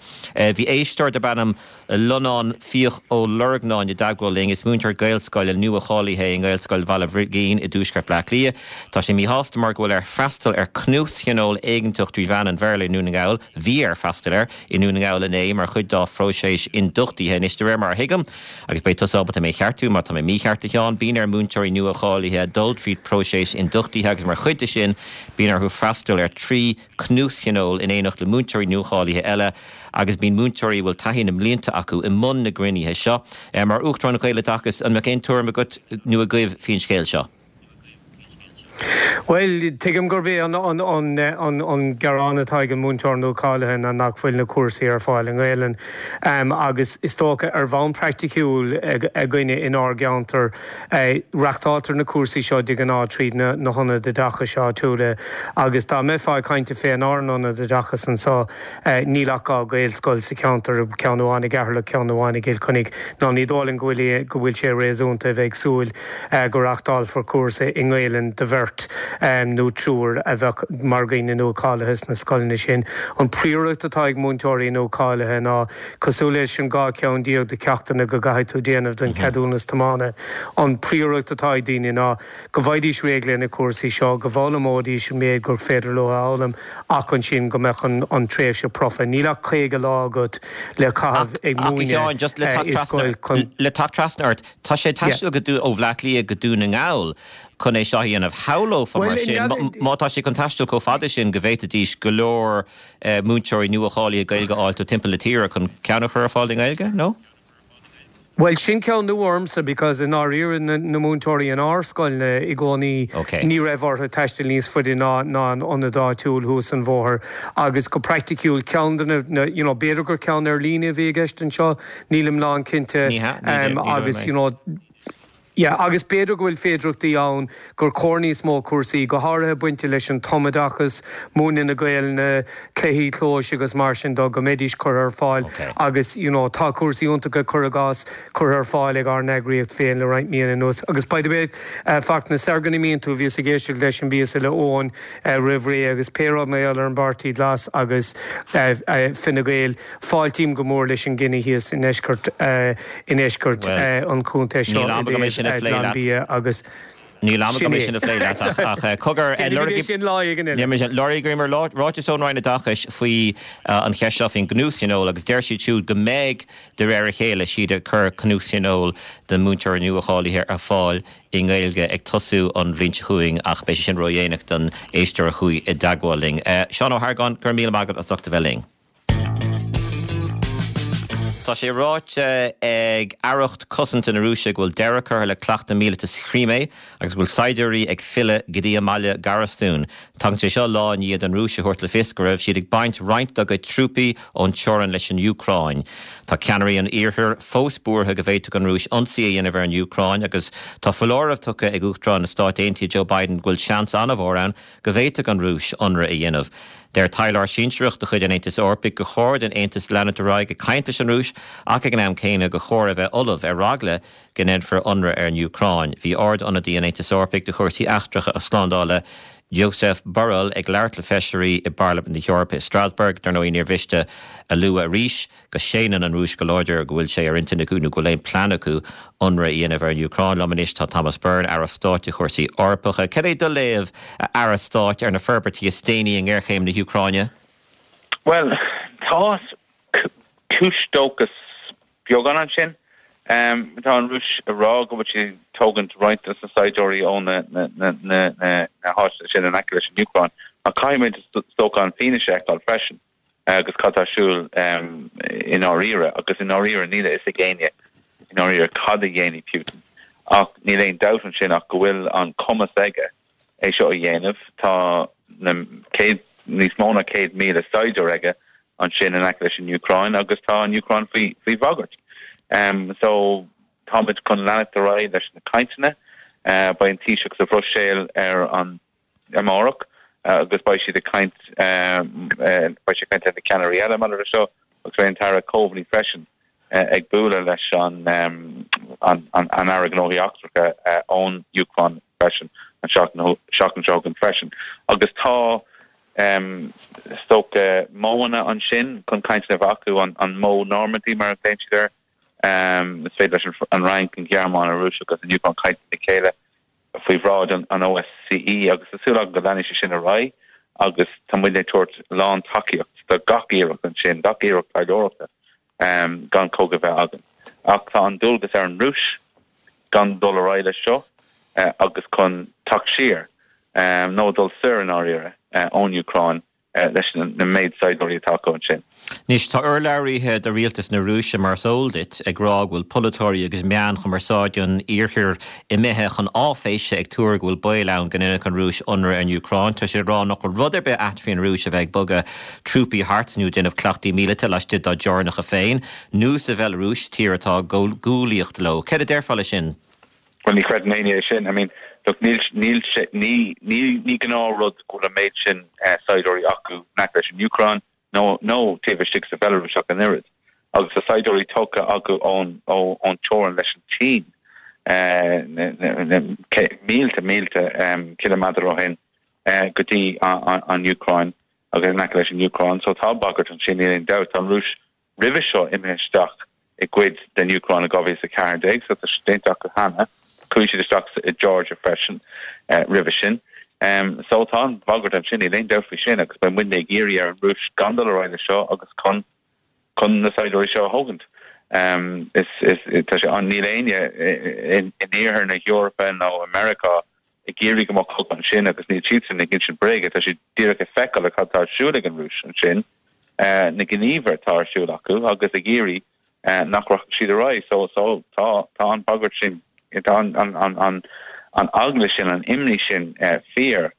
bhí éisteoir darb ainm Lonán Fiach Ó Lorgnáin i dteagmháil linn. Is múinteoir Gaelscoile nua-cháilithe é i nGaelscoil Bhaile Bhrigín i dtuaisceart Bhaile Átha Cliath. Tá sé míshásta mar go bhfuil air freastal ar chnuasthionól éigeantach trí mheán an Bhéarla i nDún na nGall, bhí air freastal air i nDún na nGall inné mar chuid dá phróiseas ionduchtaithe. Anois, de réir mar a thuigim, agus beidh tusa ábalta mé a cheartú má tá mé mícheart, a Sheáin, bíonn ar mhúinteoirí nua-cháilithe dul tríd próiseas ionduchtaithe agus mar chuid de sin bíonn orthu freastal ar trí chnuasthionól in éineacht le múinteoirí nuacháilithe eile agus bíonn múinteoirí a bhfuil taithí na mblianta acu i mbun na gcruinnithe seo. Mar Uachtarán Ghaeloideachas, an mbeadh aon tuairim agat nó agaibh faoin scéal seo? Bhuel, tuigim gurb é an an gearán atá ag an múinteoir nua-cháilithe ná nach bhfuil na cúrsaí ar fáil i nGaelainn agus is dócha ar bhonn praiticiúil againne inár gceantar reáchtáiltear na cúrsaí seo de ghnáth tríd na na hionaid oideachais áitiúla agus dá mbeifeá ag caint fén ár n-ionad oideachais anseo níl ach dhá Ghaelscoil sa cheantar, ceann amháin i gCeatharlach, ceann amháin i gCill Chainnigh. Ná ní dóigh liom go bhfuil go bhfuil sé réasúnta a bheith ag súil go reáchtálfar cúrsa i nGaelainn do bheirt nó triúr a bheadh mar dhaoine nua-cháilithe sna scoileanna sin. An phríomhrud atá ag múinteoirí nua-cháilithe ná cosúil leis an dhá cheann déag de cheachtanna go gcaithfidh tú déanamh don cheadúnas tiomána. An phríomhrud atá ag daoine ná go bhfaighidís réidh le na cúrsaí seo, go bhfoghlaimeoidís an méid gur féidir leo a fhoghlaim ach ansin go mbeadh an, an tréimhse profa. Níl ach caoga lá agat le caitheamh ag múineadh just le teacht trasna chun le teacht trasna ort, tá sé taisteal go ó Bhleá Cliath go Dún na nGall chun é seo a dhéanamh. Shamhlófá mar sin má tá sé chun taisteal chomh fada sin go bhféadfaidís go leor múinteoirí nua-cháilithe Gaeilge a fháil ó timpeall na tíre chun ceann a chur ar fáil i nGaeilge, nó? Well sin ceann nua ormsa because i ndáiríre na, na múinteoirí in ár scoil i gcónaí okay. ní raibh orthu taisteal níos faide ná ná an ionad áitiúil thuas an bóthar agus go praiticiúil ceann de na you know, b'fhéidir gur ceann ar líne a bhí i gceist anseo nílim lánchinnte um, agus you know, Yeah, agus b'fhéidir go bhfuil féidearthachtaí ann gur chóir níos mó cúrsaí, go háirithe bainte leis an tumoideachas, múineadh na Gaelainne, cluichí clóis agus mar sin de, go mbeidís curtha ar fáil agus you know tá cúrsaí iontacha cuir i gcás curtha ar fáil ag ár n-eagraíocht féin le roinnt míonna anuas. Agus by the way, Fachtna, sar go n-imíonn tú, bhíos ag éisteacht leis an bpíosa le Eoin roimh ré agus pé rud mar gheall ar an bPáirtí Glas agus Fine Gael, fáiltím go mór leis an gcinneadh thíos i ndeisceart i ndeisceart an chontae seo i dtaobh Glanbia agus Níl am agam é sin a phlé leat ach cogar lorgaíomar ráiteas ón Roinn Oideachais faoi an cheist seo faoin gcnuastionól agus deir siad siúd go mbeidh de réir a chéile siad ag cur cnuastionól de múinteoirí nua-cháilithe ar fáil i nGaeilge ag tosú an bhliain seo chugainn ach beidh sé sin ródhéanach don éisteoir a chuaigh i dteagmháil linn. Seán Ó hArgáin, go raibh míle maith agat as ucht a bheith linn. Tá sé ráite ag Aireacht Cosanta na Rúise go bhfuil deireadh curtha le cleachtadh míleata sa Chrímé agus go bhfuil saighdiúirí ag filleadh go dtí a mbaile garastún. Tagann sé seo lá i ndiaidh don Rúis a thabhairt le fios go raibh siad ag baint roinnt dá gcuid trúpaí ón teorainn leis an Úcráin. Tá ceannairí an Iarthair fós buartha go bhféadfadh an Rúis ionsaí a dhéanamh ar an Úcráin agus tá foláireamh tugtha ag Uachtarán na Stát Aontaithe Joe Biden go bhfuil seans an-mhór ann go bhféadfadh an Rúis ionradh a dhéanamh. Deir taidhleoir sinsearach de chuid an Aontais Eorpaigh gur chóir don Aontas leanúint ar aghaidh ag caint leis an Rúis ach ag an am céanna gur chóir a bheith ullamh ar eagla go ndéanfar ionradh ar an Úcráin. Bhí Ard-Ionadaí an Aontais Eorpaigh do chúrsaí eachtracha agus slándála Josep Borrell ag labhairt le feisirí i bParlaimint na hEorpa i Strasbourg. Dar ndóigh níor mhiste a lua arís go séanann an Rúis go láidir go bhfuil sé ar intinn acu nó go bhfuil aon plean acu ionradh a dhéanamh ar an Úcráin. Liom anois tá Thomas Byrne, Aire Stáit do chúrsaí Eorpacha. Cad é do léamh, a Aire Stáit, ar na forbairtí is déanaí i ngéarchéim na hÚcráine? Bhuel, tá cúis dóchais beagán ansin. Tá an Rúis ag rá go bhfuil siad ag tógaint roinnt de na saighdiúirí ó na háiteanna sin in aice leis an Úcráin, ach caithfimid is dócha an fianaise a fheiceáil freisin agus cad tá ar siúl i ndáiríre. Agus i ndáiríre níl a fhios ag éinne i ndáiríre cad a dhéanfaidh Putin. Ach níl aon dabht ansin ach go bhfuil an cumas aige é seo a dhéanamh. Tá na céad, níos mó ná céad míle saighdiúir aige ansin in aice leis an Úcráin agus tá an Úcráin faoi faoi bhagairt. Um, so táimid chun leanacht ar aghaidh leis na cainteanna. Uh, beidh an Taoiseach sa Bhruiséil ar an amárach uh, agus beidh siad ag caint um, uh, beidh sé ag caint le na ceannairí eile maidir leis seo agus beidh an tAire Coveney freisin uh, ag bualadh leis an, um, an, an, an Aire Gnóthaí Eachtracha uh, ón Úcráin freisin an seachtain seachtain seo chugainn freisin. Agus tá um, is dócha modhanna ansin chun cainteanna a bheith acu an, an modh Normandy mar a ghlaonn siad air. Um, is féidir leis an, an Fhrainc, an Ghearmáin, an Rúis agus an Úcráin caint le chéile faoi bhráid an, an OSCE agus tá súil agam go leanfaidh sé sin ar aghaidh agus tá muid ag tabhairt lán tacaíocht do gach iarracht ansin, gach iarracht taidhleoireachta um, gan cogadh a bheith againn. Ach tá an dualgas ar an Rúis gan dul ar aghaidh leis seo uh, agus chun teacht siar um, nó dul soir i ndáiríre uh, ón Úcráin uh, leis na, na méid saighdiúirí atá acu ansin. Anois tá urlabhraithe do rialtas na Rúise mar is eol duit ag rá go bhfuil polaiteoirí agus meáin chumarsáide an iarthair imithe chun áiféise ag tuar go bhfuil baol ann go ndéanfadh an Rúis ionradh ar an Úcráin. Tá siad ag rá nach bhfuil rud ar bith ait faoin Rúis a bheith ag bogadh trúpaí thart nó déanamh cleachtaí míleata laistigh dá dteorainneacha féin nó sa Bhealarúis, tír atá i gcoguolaíocht leo. Céard a déarfá leis sin? Bhuel ní chreideann éinne é sin. I mean, look, níl, níl sé, ní, ní, ní gnáthrud go bhfuil an méid sin eh, saighdiúirí acu in aice leis an Úcráin nó, nó taobh istigh sa Bhealarúis ach an oiread. Agus tá saighdiúirí tógtha acu ón, ó, ón teorainn leis an tSín, eh, na, na, na, mílte, mílte um, ciliméadar ó shin eh, go dtí an, an, an Úcráin agus in aice leis an Úcráin. So tá bagairt ansin, níl aon dabht. Tá an Rúis roimhe seo imithe isteach i gcuid den Úcráin i dhá mhíle is a ceathair déag, so tá sé déanta acu cheana. Chuaigh siad isteach i Georgia freisin roimhe sin. So tá an bhagairt ansin, níl aon dabht faoi sin agus beidh muidne ag iarraidh ar an Rúis gan dul ar aghaidh leis seo agus chun chun na saighdiúirí seo a thógaint. Is is tá sé an níl éinne in iarthar na hEorpa nó i Meiriceá ag iarraidh go mbeadh cogadh ansin agus níl siadsan ag insint bréige, tá siad díreach ag feiceáil cad tá ar siúl ag an Rúis ansin, na gníomhartha atá ar siúl acu agus ag iarraidh nach rachaidh siad ar aghaidh. So so tá tá an bhagairt sin, tá an an an an an eagla sin, an imní sin fíor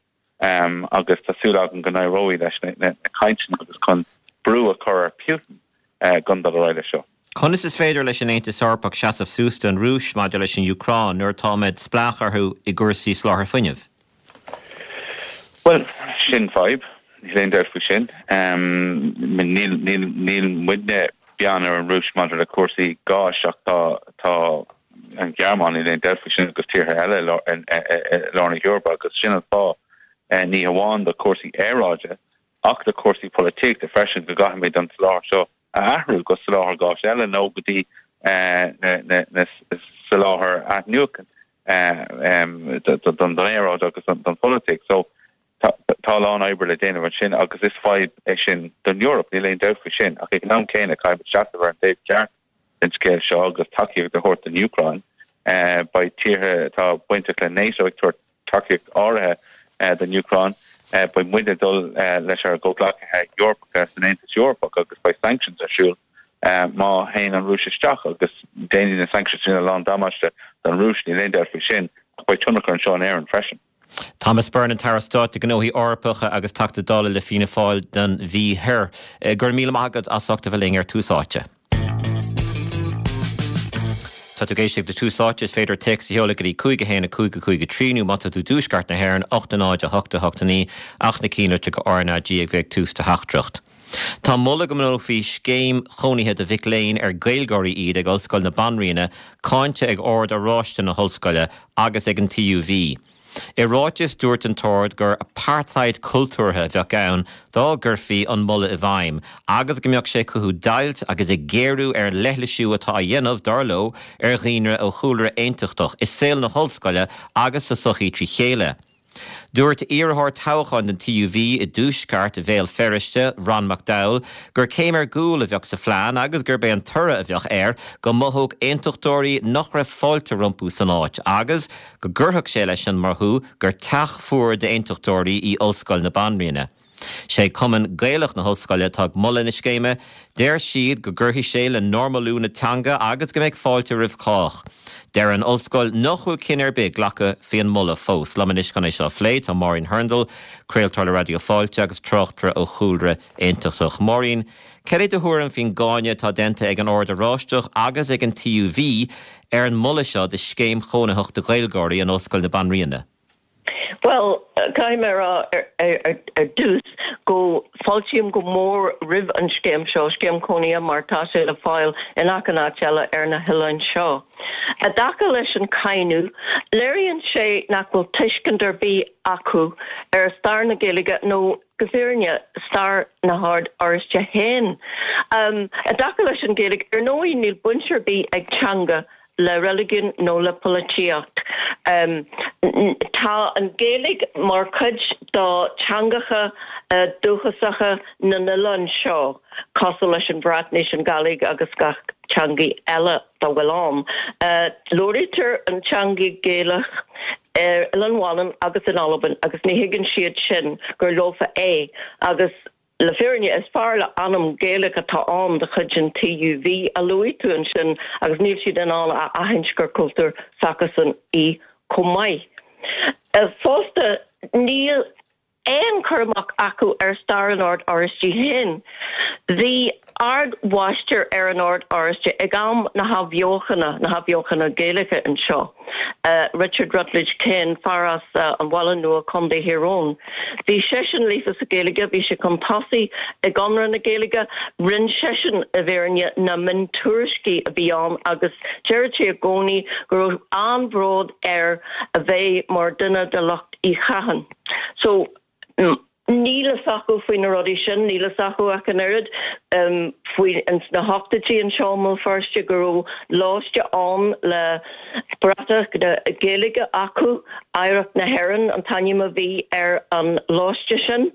agus tá súil agam go n-éireoidh leis na na cainteanna agus chun brú a chur ar Putin gan dul ar aghaidh leis seo. Conas is féidir leis an Aontas Eorpach seasamh suas don Rúis maidir leis an Úcráin nuair atáimid spleách orthu i gcúrsaí soláthar fuinnimh? Well, sin fadhb, níl aon dabht faoi sin. Níl níl muidne beann ar an Rúis maidir le cúrsaí gáis ach tá tá an Ghearmáin níl aon dabht faoi sin agus tíortha eile i lár na hEorpa agus sin an fáth ní hamháin do chúrsaí aeráide ach do chúrsaí polaitíochta freisin go gcaithfimid an soláthar seo a athrú go soláthar gáis eile nó go dtí na soláthar athnuachan don aeráid agus don pholaitíocht. So tá a lán oibre le déanamh ansin agus is fadhb é sin don Eoraip, níl aon dabht faoi sin, ach ag an am céanna caithfimid seasamh ar an taobh ceart den scéal seo agus tacaíocht a thabhairt don Úcráin. Beidh tíortha atá bainteach le NATO ag tabhairt tacaíocht áirithe don Úcráin. Beidh muid ag dul leis ár gcomhghleacaithe Eorpacha san Aontas Eorpach agus beidh sanctions ar siúl má théann an Rúis isteach agus déanfaidh na sanctions sin a lán damáiste don Rúis, níl aon dabht faoi sin, ach beidh tionchar anseo in Éirinn freisin. Thomas Byrne, an tAire Stáit do Ghnóthaí Eorpacha agus Teachta Dála le Fianna Fáil don Mhí Thoir. Go raibh míle maith agat as ucht a bheith linn ar Tús Áite. Tá tú ag éisteacht le Tús Áite, is féidir téacs a sheoladh go dtí cúig a haon a cúig a cúig a trí nó má tá tú i dtuaisceart na hÉireann, ocht a náid a hocht a hocht a naoi ach na cinnlitreacha go RnaG ag bheith ag tús do theachtaireacht. Tá moladh go mbunófaí scéim chónaithe do mhic léinn ar Gaeilgeoirí iad ag Ollscoil na Banríona cáinte ag Ord Oráiste na hOllscoile agus ag an TUV. I ráiteas, dúirt an tOrd gur apartheid cultúrtha a bheadh ann dá gcuirfí an moladh i bhfeidhm agus go mbeadh sé ag cothú deighilt agus ag géarú ar an leithlisiú atá á dhéanamh, dar leo, ar dhaoine ó chúlra aontachtach i saol na hollscoile agus sa tsochaí trí chéile. Dúirt iarrthóir toghcháin don TUV i dtuaisceart Bhéal Feirste, Ron McDowell, gur céim ar gcúl a bheadh sa phlean agus gurb é an toradh a bheadh air go mothódh aontachtóirí nach raibh fáilte rompu san áit agus go gcuirfeadh sé leis an mothú gur teach fuar d'aontachtóirí í Ollscoil na Banríona. Sé Cumann Gaelach na hOllscoile atá ag moladh na scéime. Deir siad go gcuirfidh sé le normalú na teanga agus go mbeidh fáilte roimh chách. Deir an ollscoil nach bhfuil cinneadh ar bith glactha faoin moladh fós. Liom anois chun é seo a phlé tá Máirín Hurndall, craoltóir le Raidió Fáilte agus tráchtaire ó chúlra aontachtach. Máirín, cad é do thuairim faoin gcáineadh atá déanta ag an Ord Oráisteach agus ag an TUV ar an moladh seo do scéim chónaitheach do Ghaeilgeoirí in Ollscoil na Banríona? Bhuel, caithfidh mé a rá ar dtús go bhfáiltím go mór roimh an scéim seo, scéim cónaithe mar tá sé le fáil in achan áit eile ar na hoileáin seo. I dtaca leis an cáineadh, léiríonn sé nach bhfuil tuiscint ar bith acu ar stair na Gaeilge nó go fírinne stair na hOrd Oráiste féin. I dtaca leis an Ghaeilge, ar ndóigh níl baint ar bith ag teanga le reiligiún nó le polaitíocht. Tá an Ghaeilge mar chuid de teangacha dúchasacha na n-oileán seo, cosúil leis an Bhreatnais, an Gàidhlig agus gach teangaidh eile dá bhfuil ann. Labhraítear an teangaidh Gaelach ar Oileán Mhanann agus in Albain agus ní thuigeann siad sin gur leofa é agus Le fírinne, is fear le ainm Gaelach atá ann de chuid an TUV a luaigh tú ansin agus níl siad in ann a aithint gur cultúr s'acusan í chomh maith. Fosta, níl aon chur amach acu ar stair an Oird Oráistigh féin. Bhí Ard-Mháistir ar an Ord Oráiste ag am na hAthbheochana, na hAthbheochana Gaelacha anseo, Richard Rutledge Kane, fear as an Bhaile Nua, Contae Thír Eoghain. Bhí seisean líofa sa Ghaeilge, bhí sé chun tosaigh i gConradh na Gaeilge, rinne seisean, i bhfírinne, na miontuairiscí a bhí ann agus deireadh sé i gcónaí go raibh an-bhród air a bheith mar duine de lucht Uí Chatháin. So. Níl fhios acu faoi na rudaí sin, níl fhios acu ach an oiread faoi ins na hochtóidí anseo i mBéal Feirste go raibh lóiste ann le bratach na Gaeilge acu, Oidhreacht na hÉireann an t-ainm a bhí ar an lóiste sin.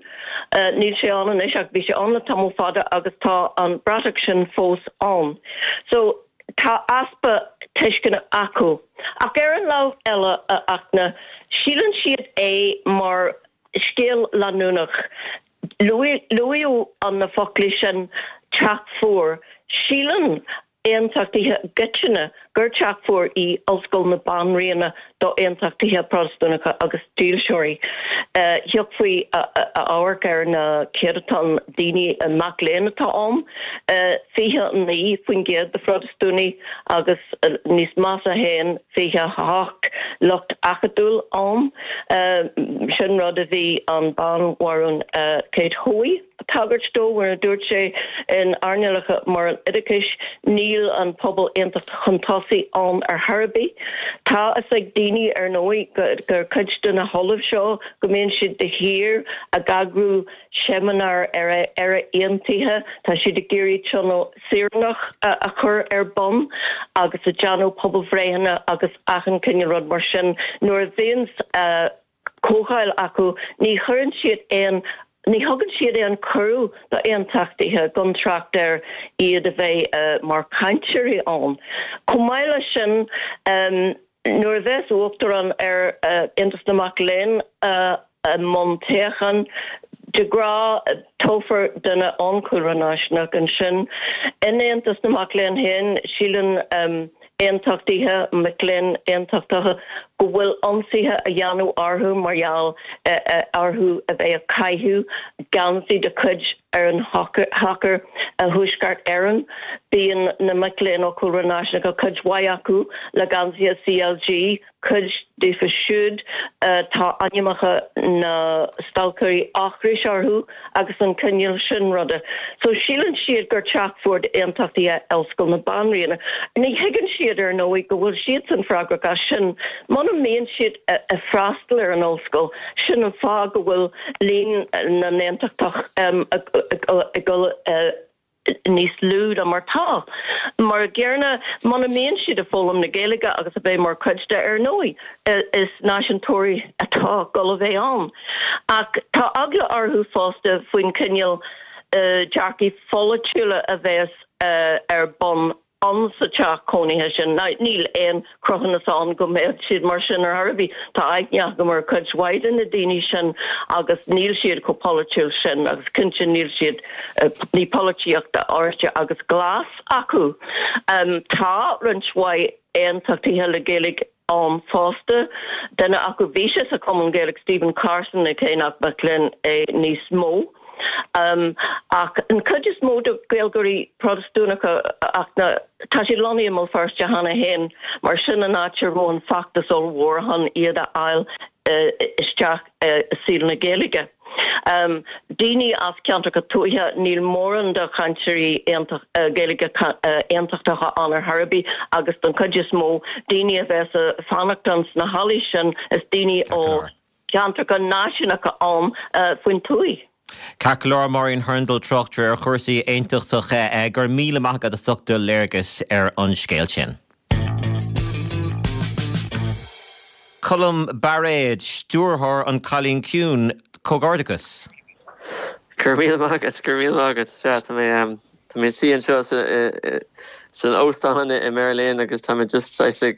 Níl sé ann anois ach bhí sé ann le tamall fada agus tá an bratach sin fós ann. So tá easpa tuisceana acu. Ach ar an lámh eile, a Fhachtna, síleann siad é mar scéal leanúnach. Luaíodh an na foclaí sin, teach fuar. Síleann aontachtaithe i gcoitinne gur teach fuar í Ollscoil na Banríona do aontachtaithe Protastúnacha agus dílseoirí. Thiocfaí a amharc ar na céadatán daoine mac léinn atá ann, fiche a naoi faoin gcéad de Phrotastúnaigh agus níos measa féin fiche a hocht lucht acadúil ann. Sin rud a bhí an Banbharún Kate Hoey ag tagairt dó nuair a dúirt sé in earnálacha mar an oideachais níl an pobal aontachtach chun tosaigh ann ar chor ar bith. Tá a fhios ag daoine ar ndóigh gur cuid de na hollaimh seo go mbíonn siad de shíor ag eagrú seimineár ar Éire Aontaithe, tá siad ag iarraidh tionól saoránach a chur ar bun agus ag déanamh pobalbhreitheanna agus achan cineál rud mar sin. Nuair a bhíonn comhdháil acu ní chuireann siad aon Ní thugann siad aon cuireadh d'aontachtaithe gan trácht ar iad a bheith mar chainteoirí ann. Chomh maith leis sin, nuair a bheas uachtarán ar Aontas na Mac Léinn i mbun toghcháin, de ghnáth toghfar duine ón chúlra náisiúnach ansin. In Aontas na Mac Léinn féin, síleann aontachtaithe, mic léinn aontachtacha, go bhfuil ionsaithe á dhéanamh orthu mar gheall orthu a bheith ag caitheamh geansaí de chuid Fhoireann Shacair Thuaisceart Éireann. Bíonn na mic léinn ó chúlra náisiúnacha, cuid mhaith acu, le geansaithe CLG, cuid díofa siúd tá ainmneacha na stailceoirí ocrais orthu agus an cineál sin ruda. So síleann siad gur teach fuar d'aontachtaithe Ollscoil na Banríona. Ní thuigeann siad ar ndóigh go bhfuil siadsan freagrach as sin. Muna mbíonn siad ag freastal ar an ollscoil, sin an fáth go bhfuil líon na n-aontachtach ag dul níos lú ná mar tá. Mar an gcéanna, muna mbíonn siad ag foghlaim na Gaeilge agus a bheith mar chuid de, ar ndóigh, is náisiúntóirí atá ag dul a bheith ann. Ach tá eagla orthu fosta faoin chineál dearcaí pholaitiúla a bheas ar bun ann sa teach cónaithe sin. Now, níl aon chruthúnas ann go mbeadh siad mar sin ar chor ar bith. Tá aithne agam ar chuid mhaith de na daoine sin agus níl siad chomh polaitiúil sin agus cinnte níl siad, ní polaitíocht Oráiste agus Glas acu. Tá roinnt mhaith aontachtaithe le Gaeilge ann fosta. Duine acu, bhí sé sa Chumann Gaelach, Stephen Carson, cé nach mac léinn é níos mó. Ach an chuid is mó de Ghaeilgeoirí Protastúnacha ach na, tá siad lonnaithe i mBéal Feirste cheana féin, mar sin an áit a raibh an feachtas ollmhór chun iad a fháil isteach i saol na Gaeilge. Daoine as ceantracha tuaithe, níl mórán de chainteoirí Gaeilge aontachtacha ann ar chor ar bith agus don chuid is mó, daoine a bheas ag fanacht ann sna hallaí sin, is daoine ó cheantracha náisiúnacha ann faoin tuaith. Ceart go leor, Máirín Hurndall, tráchtaire ar chúrsaí aontachtacha, go raibh míle maith agat as ucht do léargas ar an scéal sin. Colm Bairéad, stiúrthóir An Cailín Ciúin, comhghairdeachas. Go raibh míle maith agat, go raibh míle maith agat. Sea, tá mé, tá mé suí anseo san óstán i mBeirlín agus tá mé just saghas ag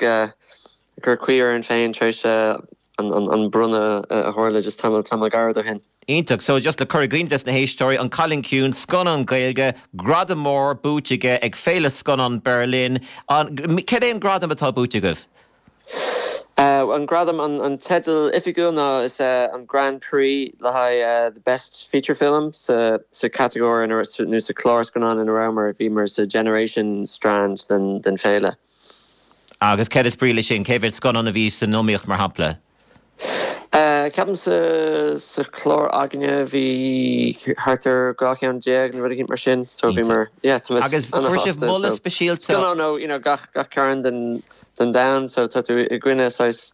cur caoi orainn féin tar éis an bronnadh a tharla just tamall, tamall gairid ó shin. Iontach. So, just le cur i gcuimhne dos na héisteoirí, An Cailín Ciúin, scannán Gaeilge, gradam mór buaite aige ag Féile Scannán Berlin. An, cad é an gradam atá buaite agaibh? An gradam, an teideal oifigiúil ná is an Grand Prix le haghaidh the Best Feature Film sa chatagóir nó sa chlár scannán ina rabhamar, bhíomar sa Generation strand den féile. Agus céard is brí leis sin? Cé mhéad scannán a bhí san iomaíocht, mar shampla? Ceapaim sa chlár againne bhí thart ar dhá cheann déag nó rud eicínt mar sin so bhíomar, yeah, tá muid Agus fuair sibh an-sásta. moladh speisialta? Scannán ó, you know, gach gach cearn den den domhan so tá tú i gcoinne saghas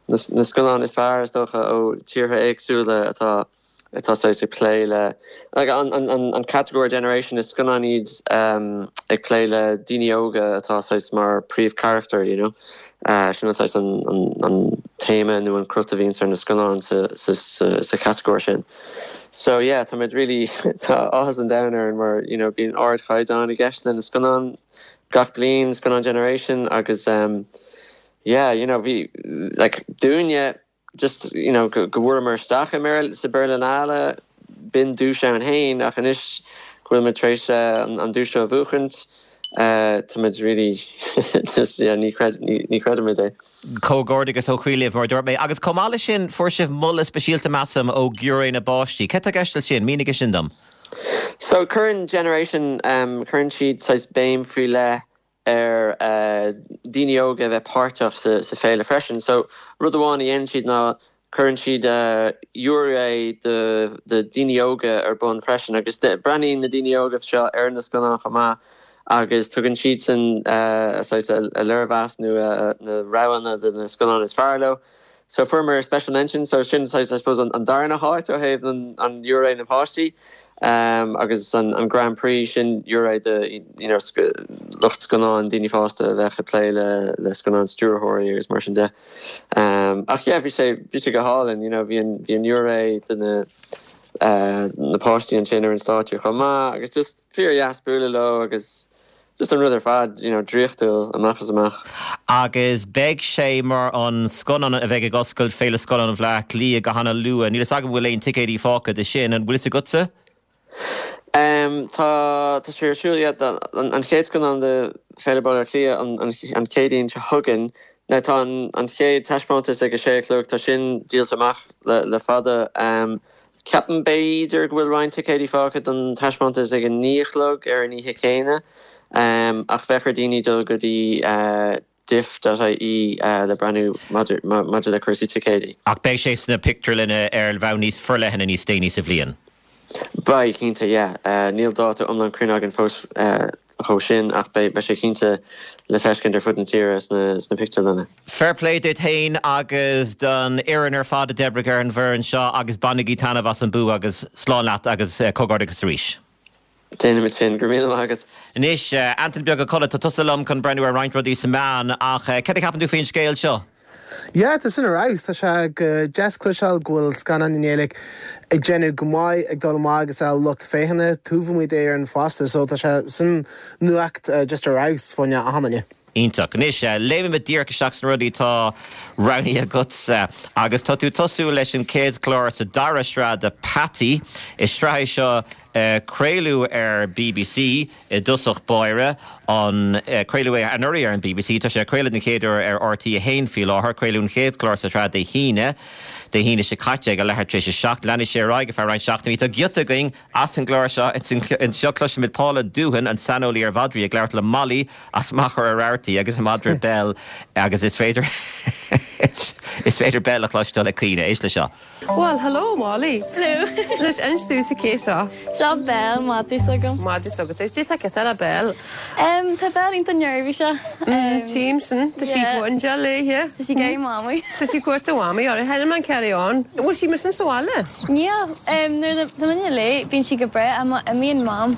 na na scannáin is fearr is dócha ó tíortha éagsúla atá atá saghas ag plé le like an an an an catagóir generation is scannáin iad um ag plé le daoine óga atá saghas mar príomhcharachtar you know uh sin an saghas an an an téama nó an crut a bhíonns ar na scannáin sa sa sa sa chatagóir sin. So yeah tá muid really tá áthas an domhain orainn mar you know bíonn ardchaighdeán i gceist le na scannáin gach bliain, Scannán Generation agus um yeah you know bhí like dúinne just you know go bhfuaireamar isteach i sa Berlinale, b'in duais ann féin ach anois go bhfuil muid tar éis an duais seo a bhuachaint Táimid really just yeah, ní ní chreidimid é. Comhghairdeas ó chroí libh mar dúirt mé, agus chomh maith leis sin fuair sibh moladh speisialta measaim ó ghiúiré na bpáistí. Cad tá i gceist leis sin mínigh sin dom. So cuireann Generation um, cuireann siad saghas béim faoi leith ar uh, daoine óga bheith páirteach sa, sa féile freisin. So rud amháin a dhéanann siad ná cuireann siad uh, giúiré de, de daoine óga ar bun freisin agus breathnaíonn na daoine óga seo ar na scannáin chomh maith agus tugann siad san uh, a léirmheas nó uh, na roghanna de na scannáin is fearr leo. So fuaireamar special mention so sin I suppose an, an darna háit ó thaobh an, an ghiúiré na páistí. Um, agus an, an Grand Prix sin giúiré de you know, lucht scannán daoine fásta a bheith ag plé le, le scannán stiúrthóirí agus mar sin de. Um, ach yeah, bhí sé bhí sé go hálainn, you know, bhí an bhí an giúiré de na uh, na páistí ansin ar an stáitse chomh maith agus just fíordheas bualadh leo agus just an rud ar fad you know, draíochtúil amach is amach. Agus beidh sé mar an scannán a bheidh ag oscailt Féile Scannán Bhaile Átha Cliath go hana luath, Níl a fhios agam bhfuil aon ticéidí fágtha de sin an bhfuil a fhios agatsa? Um, tá tá sé siúil an, an chéad scannán de Féile Baile Átha Cliath an, an, an Chéadaoin seo chugainn. Na tá an, an chéad taispeántas ag a sé a chlog tá sin díolta amach le, le fada. Um, Ceapaim b'fhéidir go bhfuil roinnt ticéidí fágtha don taispeántas ag an naoi a chlog ar an oíche chéanna. Um, ach bheadh ar daoine dul go dtí uh, diff.ie uh, le breathnú maidir le cúrsaí ticéidí. Ach beidh sé sna pictiúrlanna ar bhonn níos forleithne níos déanaí sa bhliain. Beidh cinnte yeah. uh, níl dáta iomlán cruinn againn fós uh, chomh sin ach beidh sé cinnte le feiscint ar fud na tíre sna, sna pictiúrlanna. Fair play duit féin agus don fhoireann ar fad a d'oibrigh ar an bhfoireann seo agus bainigí taitneamh as an bua agus slán leat agus uh, comhghairdeas arís. Déanaimid sin go raibh míle maith agat. Anois uh, Antain Beag Ó Colla tá tusa liom chun breathnú ar roinnt rudaí sa meán ach uh, cad a cheapann tú faoin scéal seo? Ja, tá sin ar fheabhas tá sé go deas cloisteáil go bhfuil scannán i nGaeilge ag déanamh go maith ag dul amach agus a lucht féachana tuamuid é ar an fásta, so tá sé sin nuacht uh, just ar fheabhas fá choinne achan duine. Iontach. Anois léimimid díreach isteach sna rudaí tá roghnaithe agatsa agus tá tú tosú leis an chéad chlár sa dara sraith de Peataí is sraith seo uh, craoladh ar BBC i dtosach báire an uh, craoladh é anuraidh ar an BBC tá sé craoladh an chéad uair ar RTÉ a haon faoi láthair craoladh an chéad chlár sa tsraith Dé hAoine Dé hAoine seo caite ag a leathuair tar éis a seacht leanfaidh sé ar aghaidh ar feadh roinnt seachtainí tá giota againn as an gclár seo anseo cloisimid Paula Doohan an saineolaí ar mhadraí ag labhairt le Molly as Machaire Rabhartaigh agus a madra Bell agus is féidir is féidir Bell a chloisteáil ag caoineadh éist le seo. Well, hello Molly. Hello. Leis instú sa cé seo. Seo Bell madra s'agam. Madra s'agat é tá ce a Bell. Um, tá Bell iontach neirbhíseach. Tím sin Tá sí cuain léithe. Tá sí ag mamaí. Tá sí cuartú mamaí ar he man carry on. Bhfuil sí mar sin sa bhaile? Níl nuair tá mé léi bíonn sí go breá má imíonn mam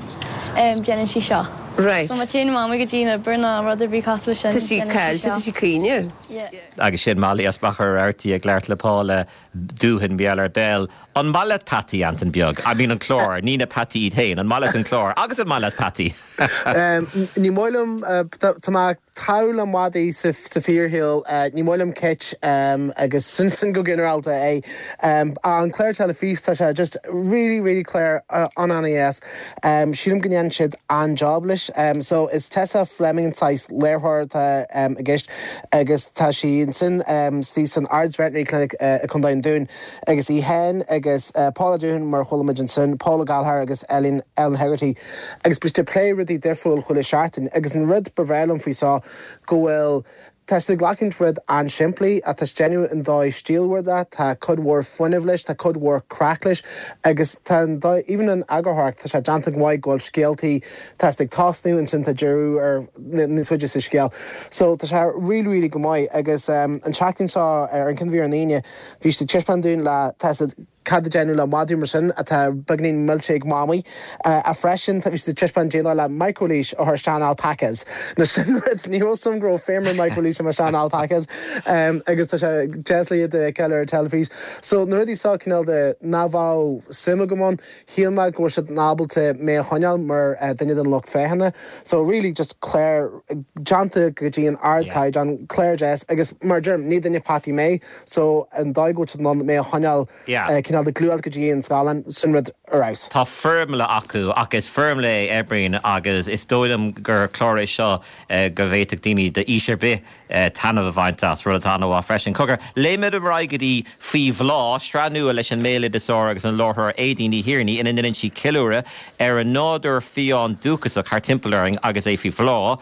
déanann sí seo. Right. So má théann mamaí go dtí an obair nó rud ar bith cosúil sin. Tá sí cailte tá sí caoineadh. Agus sin Molly as Machaire Rabhartaigh ag labhairt le Paula Doohan Bell ar Bell. An maith leat Peataí Antain Beag, I mean an clár, ní na peataí iad féin, an maith leat an clár, agus an maith leat peataí. Ní maith liom tá mé tall le madaí sa fíorshaol ní maith liom cait agus sin sin go ginearálta é. An clár teilifíse tá sé just really really clear an an-deas. Sílim go ndéanann siad an-job leis. So is Tessa Fleming an saghas léiritheoir atá i gceist agus tá sí ansin sí san Ards Veterinary Clinic i Contae an Dúin agus í féin agus Paula Doohan mar chuala muid ansin, Paula Gallagher agus Ellen Ellen Hegarty agus bíonn siad ag plé rudaí difriúil chuile seachtain agus an rud ba bhreá liom faoi seo go bhfuil Tá siad ag glacaint rud an-simplí a tá déanamh an dóigh stílmhar de, tá cuid mhór fuinnimh leis, tá cuid mhór craic leis agus tá even an eagarthóireacht tá sé déanta go maith go bhfuil scéaltaí tá ag tosnú ansin tá deireadh ar níos faide sa scéal. So tá sé really really go maith agus um, an tseachtain seo ar an cinbhí an aoine bhí siad ag taispeáint dúinn le tá cad a déanamh le madra mar sin atá beagáinín millte ag mamaí a freisin tá bhí siad ag taispeáint déanamh le microleash ó thar sean alpacas. Na sin rud ní raibh sam gro fémer microleash mar sean alpacas um, agus tá sé Jesley de keller teilifís. So na rudaí seo cineál de nach bhfuil suim agam ann shíl mé go siad ábalta mé a choinneáil mar uh, duine den lucht féachana. So really just clár déanta go dtí an ardchaighdeán clár deas agus mar deirim ní duine peataí mé, so an dóigh go mé a choinneáil Yeah. uh, cineál de gluaiseacht go dtí an scáileán, sin rud ar fheabhas. Tá foirmle acu ach is foirmle é a oibríonn agus is dóigh liom gur clár é seo go bhféadfadh daoine d'aois ar bith taitneamh a bhaint as, rud atá an-mhaith freisin. Cogar, léimid ar aghaidh go dtí Faoi Bhláth, sraith nua leis an mbéaloideasóir agus an láithreoir Aedín Ní Thiarnaigh ina ndéanann sí ceiliúradh ar an nádúr fiáin dúchasach thar timpeall orainn agus é faoi bhláth.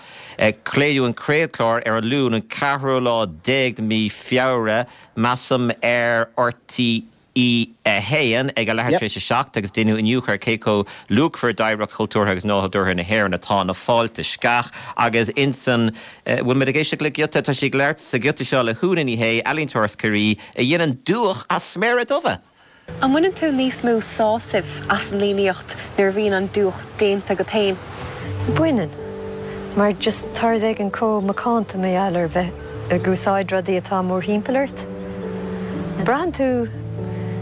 Craoladh an chéad chlár ar an Luan an ceathrú lá déag de mí Feabhra, measaim ar RTÉ a haon ag a leathuair tar éis a seacht agus déanadh iniúchadh ar cé chomh luachmhar d'oidhreacht chultúrtha agus nádúrtha na hÉireann atá na fálta sceach agus insan bhfuil muid ag éisteacht le giota tá sí ag labhairt sa ghiota seo le hÚna Ní Shé, ealaíontóir as Ciarraí a dhéanann dúch as sméara dubha. An mbaineann tú níos mó sásaimh as an líníocht nuair a bhíonn an dúch déanta agat féin? Baineann, mar just tá rud éigin chomh macánta mar gheall ar bheith ag úsáid rudaí atá mórthimpeall ort. Braitheann tú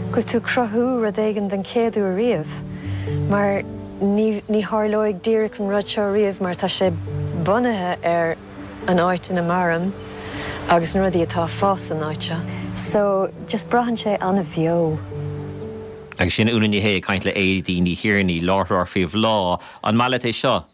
go bhfuil tú ag cruthú rud éigin den chéad uair riamh, mar ní ní tharlóidh díreach an rud seo riamh mar tá sé bunaithe ar an áit ina mairim agus na rudaí atá ag fás san áit seo. So just braitheann sé an-bheo. Agus sin Úna Ní Shé ag caint le Aedín Ní Thiarnaigh, láithreoir Faoi Bhláth. An maith leat é seo?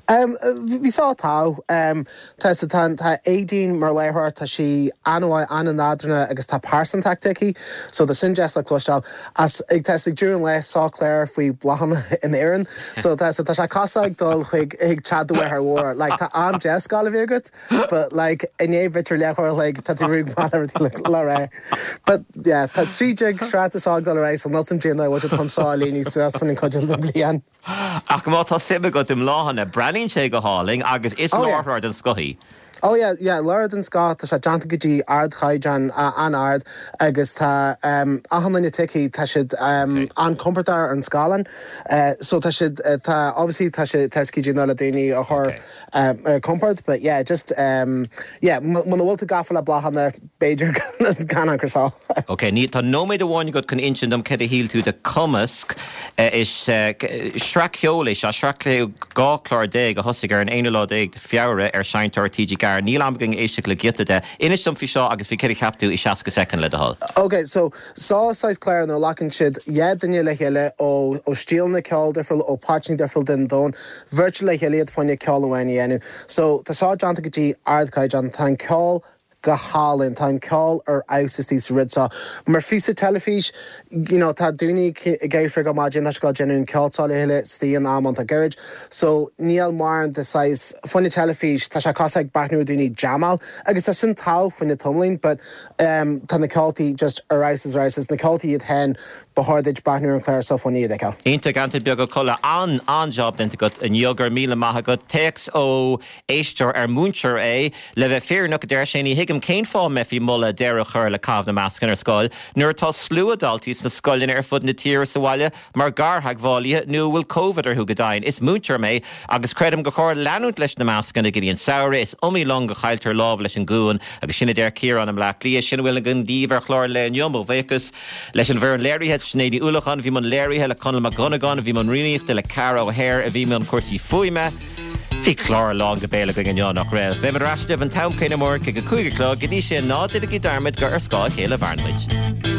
Um, bhí sá tá um, tá tá tá Aedín mar láithreoir tá sí an-mhaith an-nádúrtha agus tá pearsantacht aici, so tá sin deas le cloisteáil as ag test ag deireadh an lae sá clár faoi bláthanna in Éirinn, so tá tá sé cosúil ag dul chuig ag teach do mháthar mhór, like tá am deas gal a bhí agat, but like inné b'fhéidir leathuair like tá tú rúg le ré. But yeah, tá trí déag sraith is ag dul ar aghaidh, so níl sam déanamh bhfuil chun sá líní suas fan an chuid den bliain. Ach má tá suim agat i mbláthanna, breathnaíonn sé go hálainn agus is Oh, yeah. láithreoir den scoth í. Oh yeah, yeah, láithreoir den scoth tá sé déanta go dtí ardchaighdeán an-ard agus tá um, achan duine tuí tá siad um, an-chompordach ar an scáileán. Uh, so tá siad uh, tá obviously tá sé tescí le daoine a chur um, ar compord, but yeah, just um, yeah, muna bhfuil tú gafa le bláthanna b'fhéidir gan an sá. Ok, ní tá nóiméad amháin agat chun insint dom céard a shíl tú de Cumasc eh, is eh, sraith ceoil é seo sraith dhá chlár déag a thosaigh ar an aonú lá déag de Feabhra ar Seinnteoir TG Ceathair. Níl am againn éisteacht le giota de. Inis dom faoi seo agus faoi céard a cheap tú i seasca soicind le do thoil. Ok, so sá sais cléir nó lacan siad dhe duine le chéile ó ó stíleanna ceoil difriúil ó páirteanna difriúil den domhan, bheirte le chéile iad fá choinne ceol amháin a dhéanamh. So tá sá déanta go dtí ardchaighdeán tá an ceol go hálainn tá an ceol ar fheabhas sa rud seo. Mar phíosa teilifís you know, tá daoine ag éirí go maidin tá go déanamh ceol le chéile stíon am an tá gairid. So níl mar de sais fá choinne teilifís tá sé cosúil ag breathnú daoine jamáil agus tá sin tá fá choinne tamaillín, but um, tá na ceoltaí just ar fheabhas ar fheabhas na ceoltaí iad féin ba chóir duit breathnú an clár seo fá choinne iad a fheiceáil. Iontach Antain Beag Ó Colla an an-jab déanta agat inniu go raibh míle maith agat téacs ó éisteoir ar múinteoir é le bheith fírinneach deir sé ní thuigim cén fáth mbeifí ag moladh deireadh a chur le caitheamh na mascanna ar scoil nuair atá slua daltaí sna scoileanna ar fud na tíre sa bhaile mar gartheagmhálaithe nó bhfuil COVID orthu go deimhin. Is múinteoir mé agus creidim gur chóir leanúint leis na mascanna go dtí an samhradh is iomaí long a chailltear lámh leis an gcuan agus sin a deir Ciarán i mBleá Cliath sin a bhfuil againn daoibh ar chlár lae inniu mo bhuíochas leis an bhfoireann léirithe Sinéad Ní Uallacháin bhí an léirithe le Conall Mac Dhonnagáin bhí an rúnaíochta le Cara O'Hare a bhí an cúrsaí fuaime. Bhí clár lán go béal againn inniu nach raibh. Beimid ar ais an t-am céanna amárach ag a cúig a chlog go dtí sin ná déanaigí dearmad gur ar scáth a chéile a mhaireann muid.